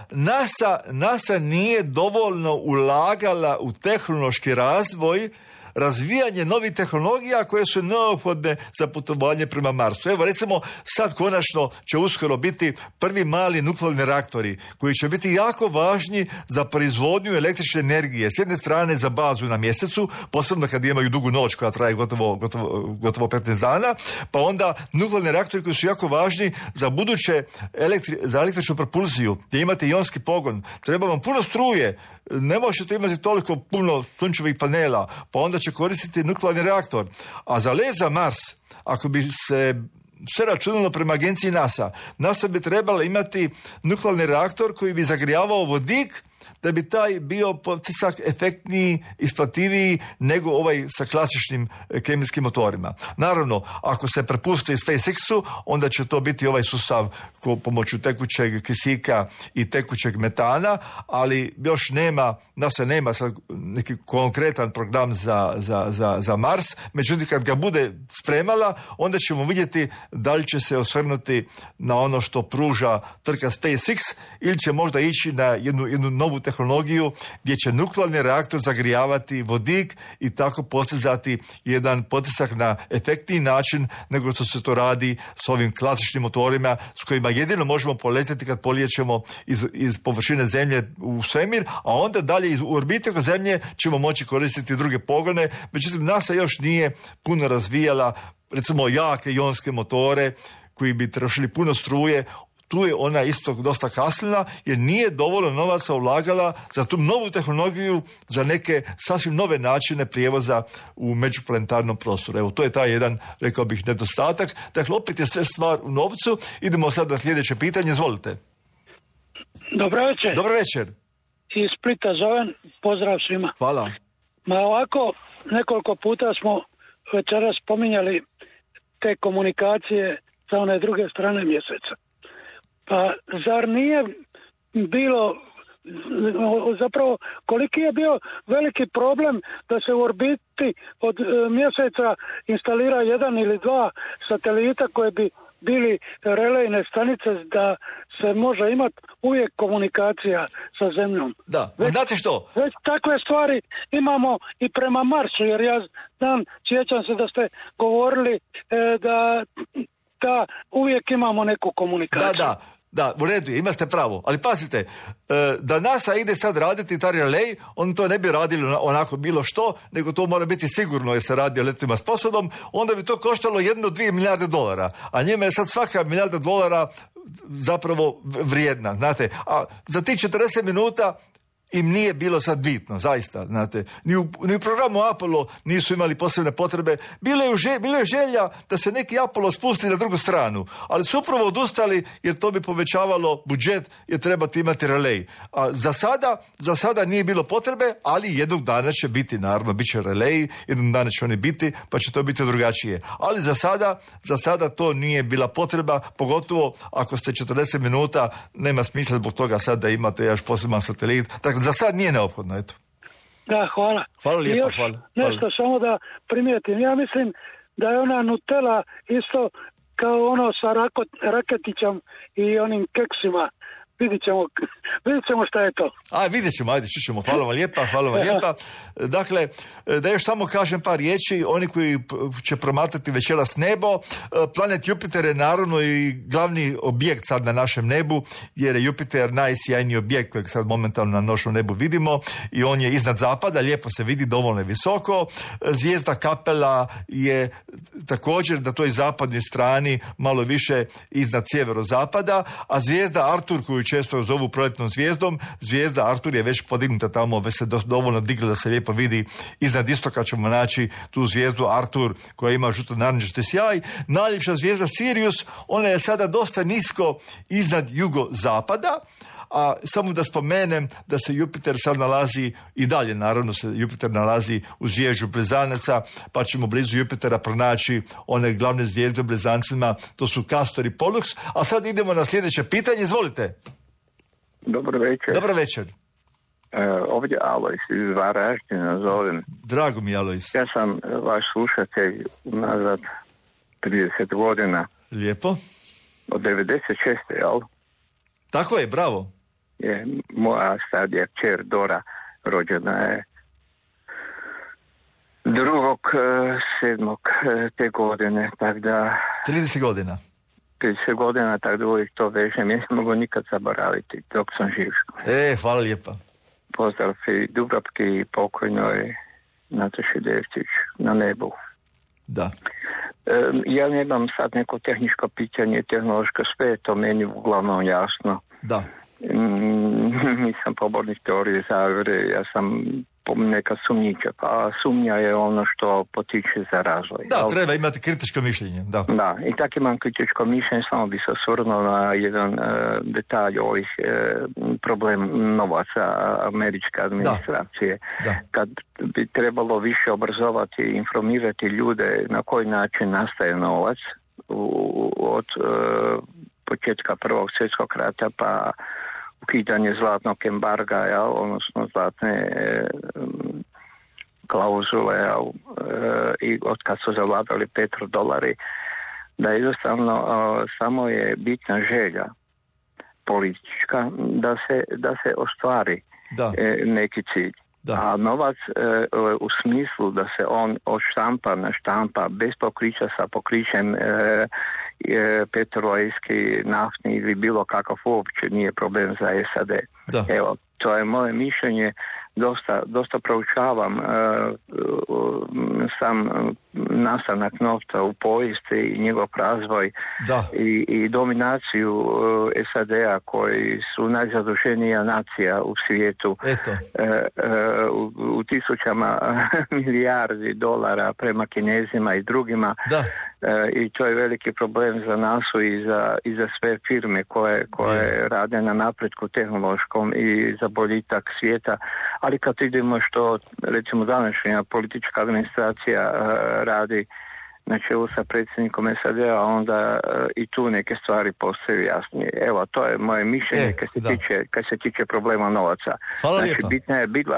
NASA nije dovoljno ulagala u tehnološki razvoj, razvijanje novih tehnologija koje su neophodne za putovanje prema Marsu. Evo, recimo, sad konačno će uskoro biti prvi mali nuklearni reaktori koji će biti jako važni za proizvodnju električne energije. S jedne strane za bazu na Mjesecu, posebno kad imaju dugu noć koja traje gotovo 15 dana, pa onda nuklearni reaktori koji su jako važni za buduće za električnu propulziju, gdje imate ionski pogon. Treba vam puno struje, ne možete imati toliko puno sunčevih panela, pa onda će koristiti nuklearni reaktor. A za let za Mars, ako bi se sve računalo prema agenciji NASA bi trebala imati nuklearni reaktor koji bi zagrijavao vodik da bi taj bio potisak efektniji, isplativiji nego ovaj sa klasičnim kemijskim motorima. Naravno, ako se prepusti SpaceX-u, onda će to biti ovaj sustav pomoću tekućeg kisika i tekućeg metana, ali još NASA nema sad neki konkretan program za Mars, međutim kad ga bude spremala, onda ćemo vidjeti da li će se osvrnuti na ono što pruža tvrtka SpaceX ili će možda ići na jednu novu tehnologiju gdje će nuklearni reaktor zagrijavati vodik i tako postizati jedan potisak na efektniji način nego što se to radi s ovim klasičnim motorima s kojima jedino možemo poletiti kad polijećemo iz površine Zemlje u svemir, a onda dalje iz orbite oko Zemlje ćemo moći koristiti druge pogone. Međutim, NASA još nije puno razvijala recimo jake ionske motore koji bi trošili puno struje. Tu je ona isto dosta kasnila jer nije dovoljno novaca ulagala za tu novu tehnologiju, za neke sasvim nove načine prijevoza u međuplanetarnom prostoru. Evo, to je taj jedan, rekao bih, nedostatak. Dakle, opet je sve stvar u novcu. Idemo sad na sljedeće pitanje. Izvolite. Dobro večer. Dobro večer. Iz Splita zovem. Pozdrav svima. Hvala. Ma ovako, nekoliko puta smo večeras spominjali te komunikacije sa one druge strane mjeseca. Pa zar nije bilo, zapravo koliki je bio veliki problem da se u orbiti od mjeseca instalira jedan ili dva satelita koje bi bili relejne stanice da se može imati uvijek komunikacija sa Zemljom. Da, znate što? Već takve stvari imamo i prema Marsu, jer ja znam, sjećam se da ste govorili da uvijek imamo neku komunikaciju. Da, u redu je, imate pravo. Ali pazite, da NASA ide sad raditi taj relej, on to ne bi radili onako bilo što, nego to mora biti sigurno jer se radi o letovima s posadom, onda bi to koštalo 1-2 milijarde dolara. A njima je sad svaka milijarda dolara zapravo vrijedna, znate. A za tih 40 minuta im nije bilo sad bitno, zaista, znate. Ni u programu Apollo nisu imali posebne potrebe. Bilo je želja da se neki Apollo spusti na drugu stranu, ali su upravo odustali jer to bi povećavalo budžet jer trebate imati relej. A za sada nije bilo potrebe, ali jednog dana će biti, naravno, bit će relej, jednog dana će oni biti, pa će to biti drugačije. Ali za sada to nije bila potreba, pogotovo ako ste 40 minuta, nema smisla zbog toga sad da imate još poseban satelit. Dakle, za sad nije neophodno, eto. Da, hvala. Hvala lijepa, I još hvala. Nešto samo da primijetim. Ja mislim da je ona Nutella isto kao ono sa Raketićem i onim keksima. Vidjet ćemo šta je to. Vidjet ćemo, ajde, čućemo. Hvala vam lijepa. Dakle, da još samo kažem par riječi, oni koji će promatrati večeras nebo, planet Jupiter je naravno i glavni objekt sad na našem nebu, jer je Jupiter najsjajniji objekt kojeg sad momentalno na našem nebu vidimo i on je iznad zapada, lijepo se vidi, dovoljno je visoko. Zvijezda Kapela je također na toj zapadnoj strani malo više iznad sjeverozapada, a zvijezda Artur, koju često zovu proljetnom zvijezdom, zvijezda Artur je već podignuta tamo, već se dovoljno digla da se lijepo vidi. Iznad istoka ćemo naći tu zvijezdu Artur koja ima žuto-narančasti sjaj. Najljepša zvijezda Sirius, ona je sada dosta nisko iznad jugozapada, a samo da spomenem da se Jupiter sad nalazi i dalje, naravno se Jupiter nalazi u zvježđu Blizanaca, pa ćemo blizu Jupitera pronaći one glavne zvijezde u Blizancima, to su Castor i Pollux. A sad idemo na sljedeće pitanje, izvolite. Dobro večer. Dobro večer. Ovdje Alojs iz Varaždina zovem. Drago mi, Alojs. Ja sam vaš slušatelj nazad 30 godina. Lijepo. Od 96. jel? Tako je, bravo. Moja starija kćer Dora rođena je 2.7. te godine, tako da... 30 godina. 30 godina, tako da uvijek to vežem. Ja ne mogu nikad zaboraviti dok sam živ. Hvala lijepa. Pozdrav i Dubravki i pokojnoj Nataši Devčić na nebu. Da. Ja nemam sad neko tehničko pitanje, tehnološko, sve je to meni uglavnom jasno. Da. Nisam pobornik teorije zavere, ja sam neka sumnjiča. Pa sumnja je ono što potiče za razvoj. Da, treba imati kritičko mišljenje. Da, i tako imam kritičko mišljenje, samo bi se osvrnuo na jedan detalj ovih problem novaca američke administracije. Da. Kad bi trebalo više obrazovati i informirati ljude na koji način nastaje novac od početka Prvog svjetskog rata pa ukidanje zlatnog embarga, odnosno zlatne klauzule i od kad su zavladali petrodolari, da jednostavno samo je bitna želja politička da se ostvari neki cilj. A novac u smislu da se on odštampa, naštampa bez pokrića sa pokrićem petrolejski, naftni ili bilo kakav uopće nije problem za SAD. Evo, to je moje mišljenje. Dosta proučavam sam nastanak novca u povijesti i njegov razvoj i dominaciju SAD-a koji su najzaduženija nacija u svijetu u tisućama milijardi dolara prema Kinezima i drugima. I to je veliki problem za nas i za sve firme koje rade na napretku tehnološkom i za boljitak svijeta. Ali kad vidimo što recimo današnja politička administracija radi na čelu sa predsjednikom SAD-a, onda i tu neke stvari postaju jasnije. Evo, to je moje mišljenje kad se tiče problema novaca.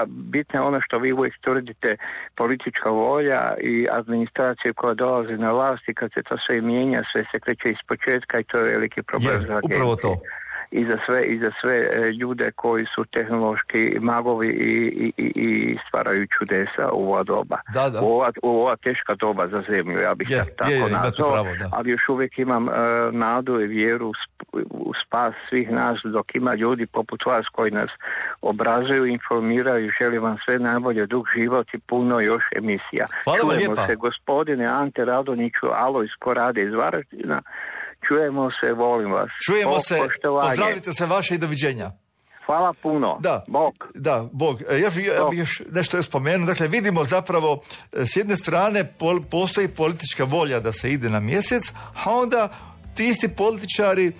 Bitna je ono što vi uvijek tvrdite, politička volja i administracija koja dolazi na vlast i kad se to sve mijenja, sve se kreće iz početka i to je veliki problem za agencije. Upravo to. I za sve ljude koji su tehnološki magovi i stvaraju čudesa u ova doba. U ova teška doba za zemlju, ja bih tako nazvao, ali još uvijek imam nadu i vjeru u spas svih nas, dok ima ljudi poput vas koji nas obrazuju, informiraju. Želim vam sve najbolje, dug život i puno još emisija. Čujemo se, gospodine Ante Radonjiću, Alojs Korade iz Varaždina. Čujemo se, volim vas. Čujemo se, pozdravite se vaše i doviđenja. Hvala puno. Bog. Bog. Ja bih još nešto spomenuo. Dakle, vidimo zapravo s jedne strane postoji politička volja da se ide na mjesec, a onda ti isti političari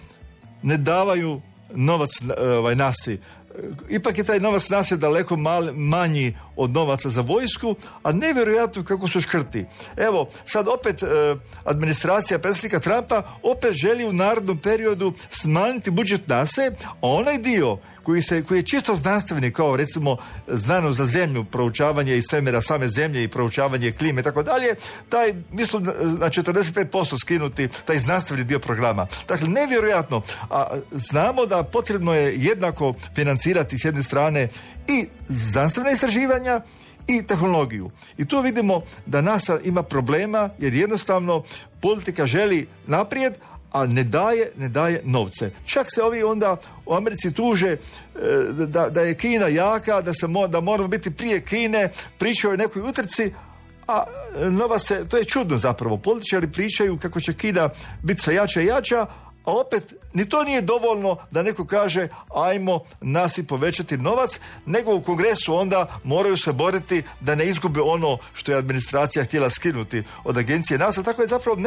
ne davaju novac nasi. Ipak je taj novac nas je daleko manji od novaca za vojsku, a nevjerojatno kako su škrti. Evo, sad opet administracija predsjednika Trumpa opet želi u narednom periodu smanjiti budžet NASA, a onaj dio koji je čisto znanstveni, kao recimo znanost za zemlju, proučavanje i svemira same zemlje i proučavanje klime i tako dalje, taj mislim na 45% skinuti taj znanstveni dio programa. Dakle, nevjerojatno. A znamo da potrebno je jednako financirati s jedne strane i znanstvena istraživanja i tehnologiju. I tu vidimo da NASA ima problema jer jednostavno politika želi naprijed, a ne daje novce. Čak se ovi onda u Americi tuže da je Kina jaka, da moramo biti prije Kine, pričaju o nekoj utrci, a to je čudno zapravo. Političari pričaju kako će Kina biti sve jača i jača, a opet ni to nije dovoljno da neko kaže ajmo nas i povećati novac, nego u Kongresu onda moraju se boriti da ne izgube ono što je administracija htjela skinuti od agencije NASA. Tako je zapravo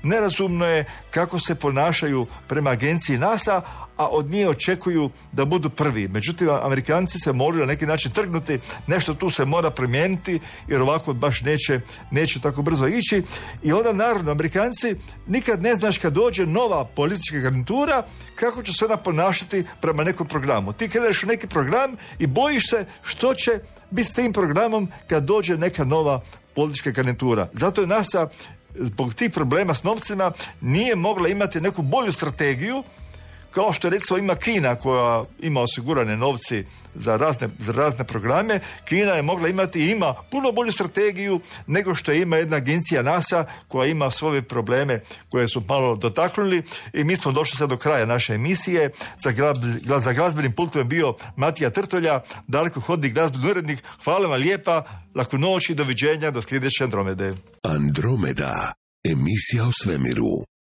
nerazumno je kako se ponašaju prema agenciji NASA, a od nje očekuju da budu prvi. Međutim, Amerikanci se moraju na neki način trgnuti, nešto tu se mora promijeniti, jer ovako baš neće tako brzo ići. I onda naravno, Amerikanci nikad ne znaš kad dođe nova politička garnitura, kako će se ona ponašati prema nekom programu. Ti kreneš u neki program i bojiš se što će biti s tim programom kad dođe neka nova politička garnitura. Zato je NASA zbog tih problema s novcima nije mogla imati neku bolju strategiju, kao što recimo ima Kina koja ima osigurane novci za razne programe. Kina je mogla imati i ima puno bolju strategiju nego što ima jedna agencija NASA koja ima svoje probleme koje su malo dotaknuli. I mi smo došli sad do kraja naše emisije. Za glazbenim pultom je bio Matija Trtolja, dalekohodni glazbeni urednik. Hvala vam lijepa, laku noć i doviđenja do sljedeće Andromede. Andromeda, emisija o svemiru.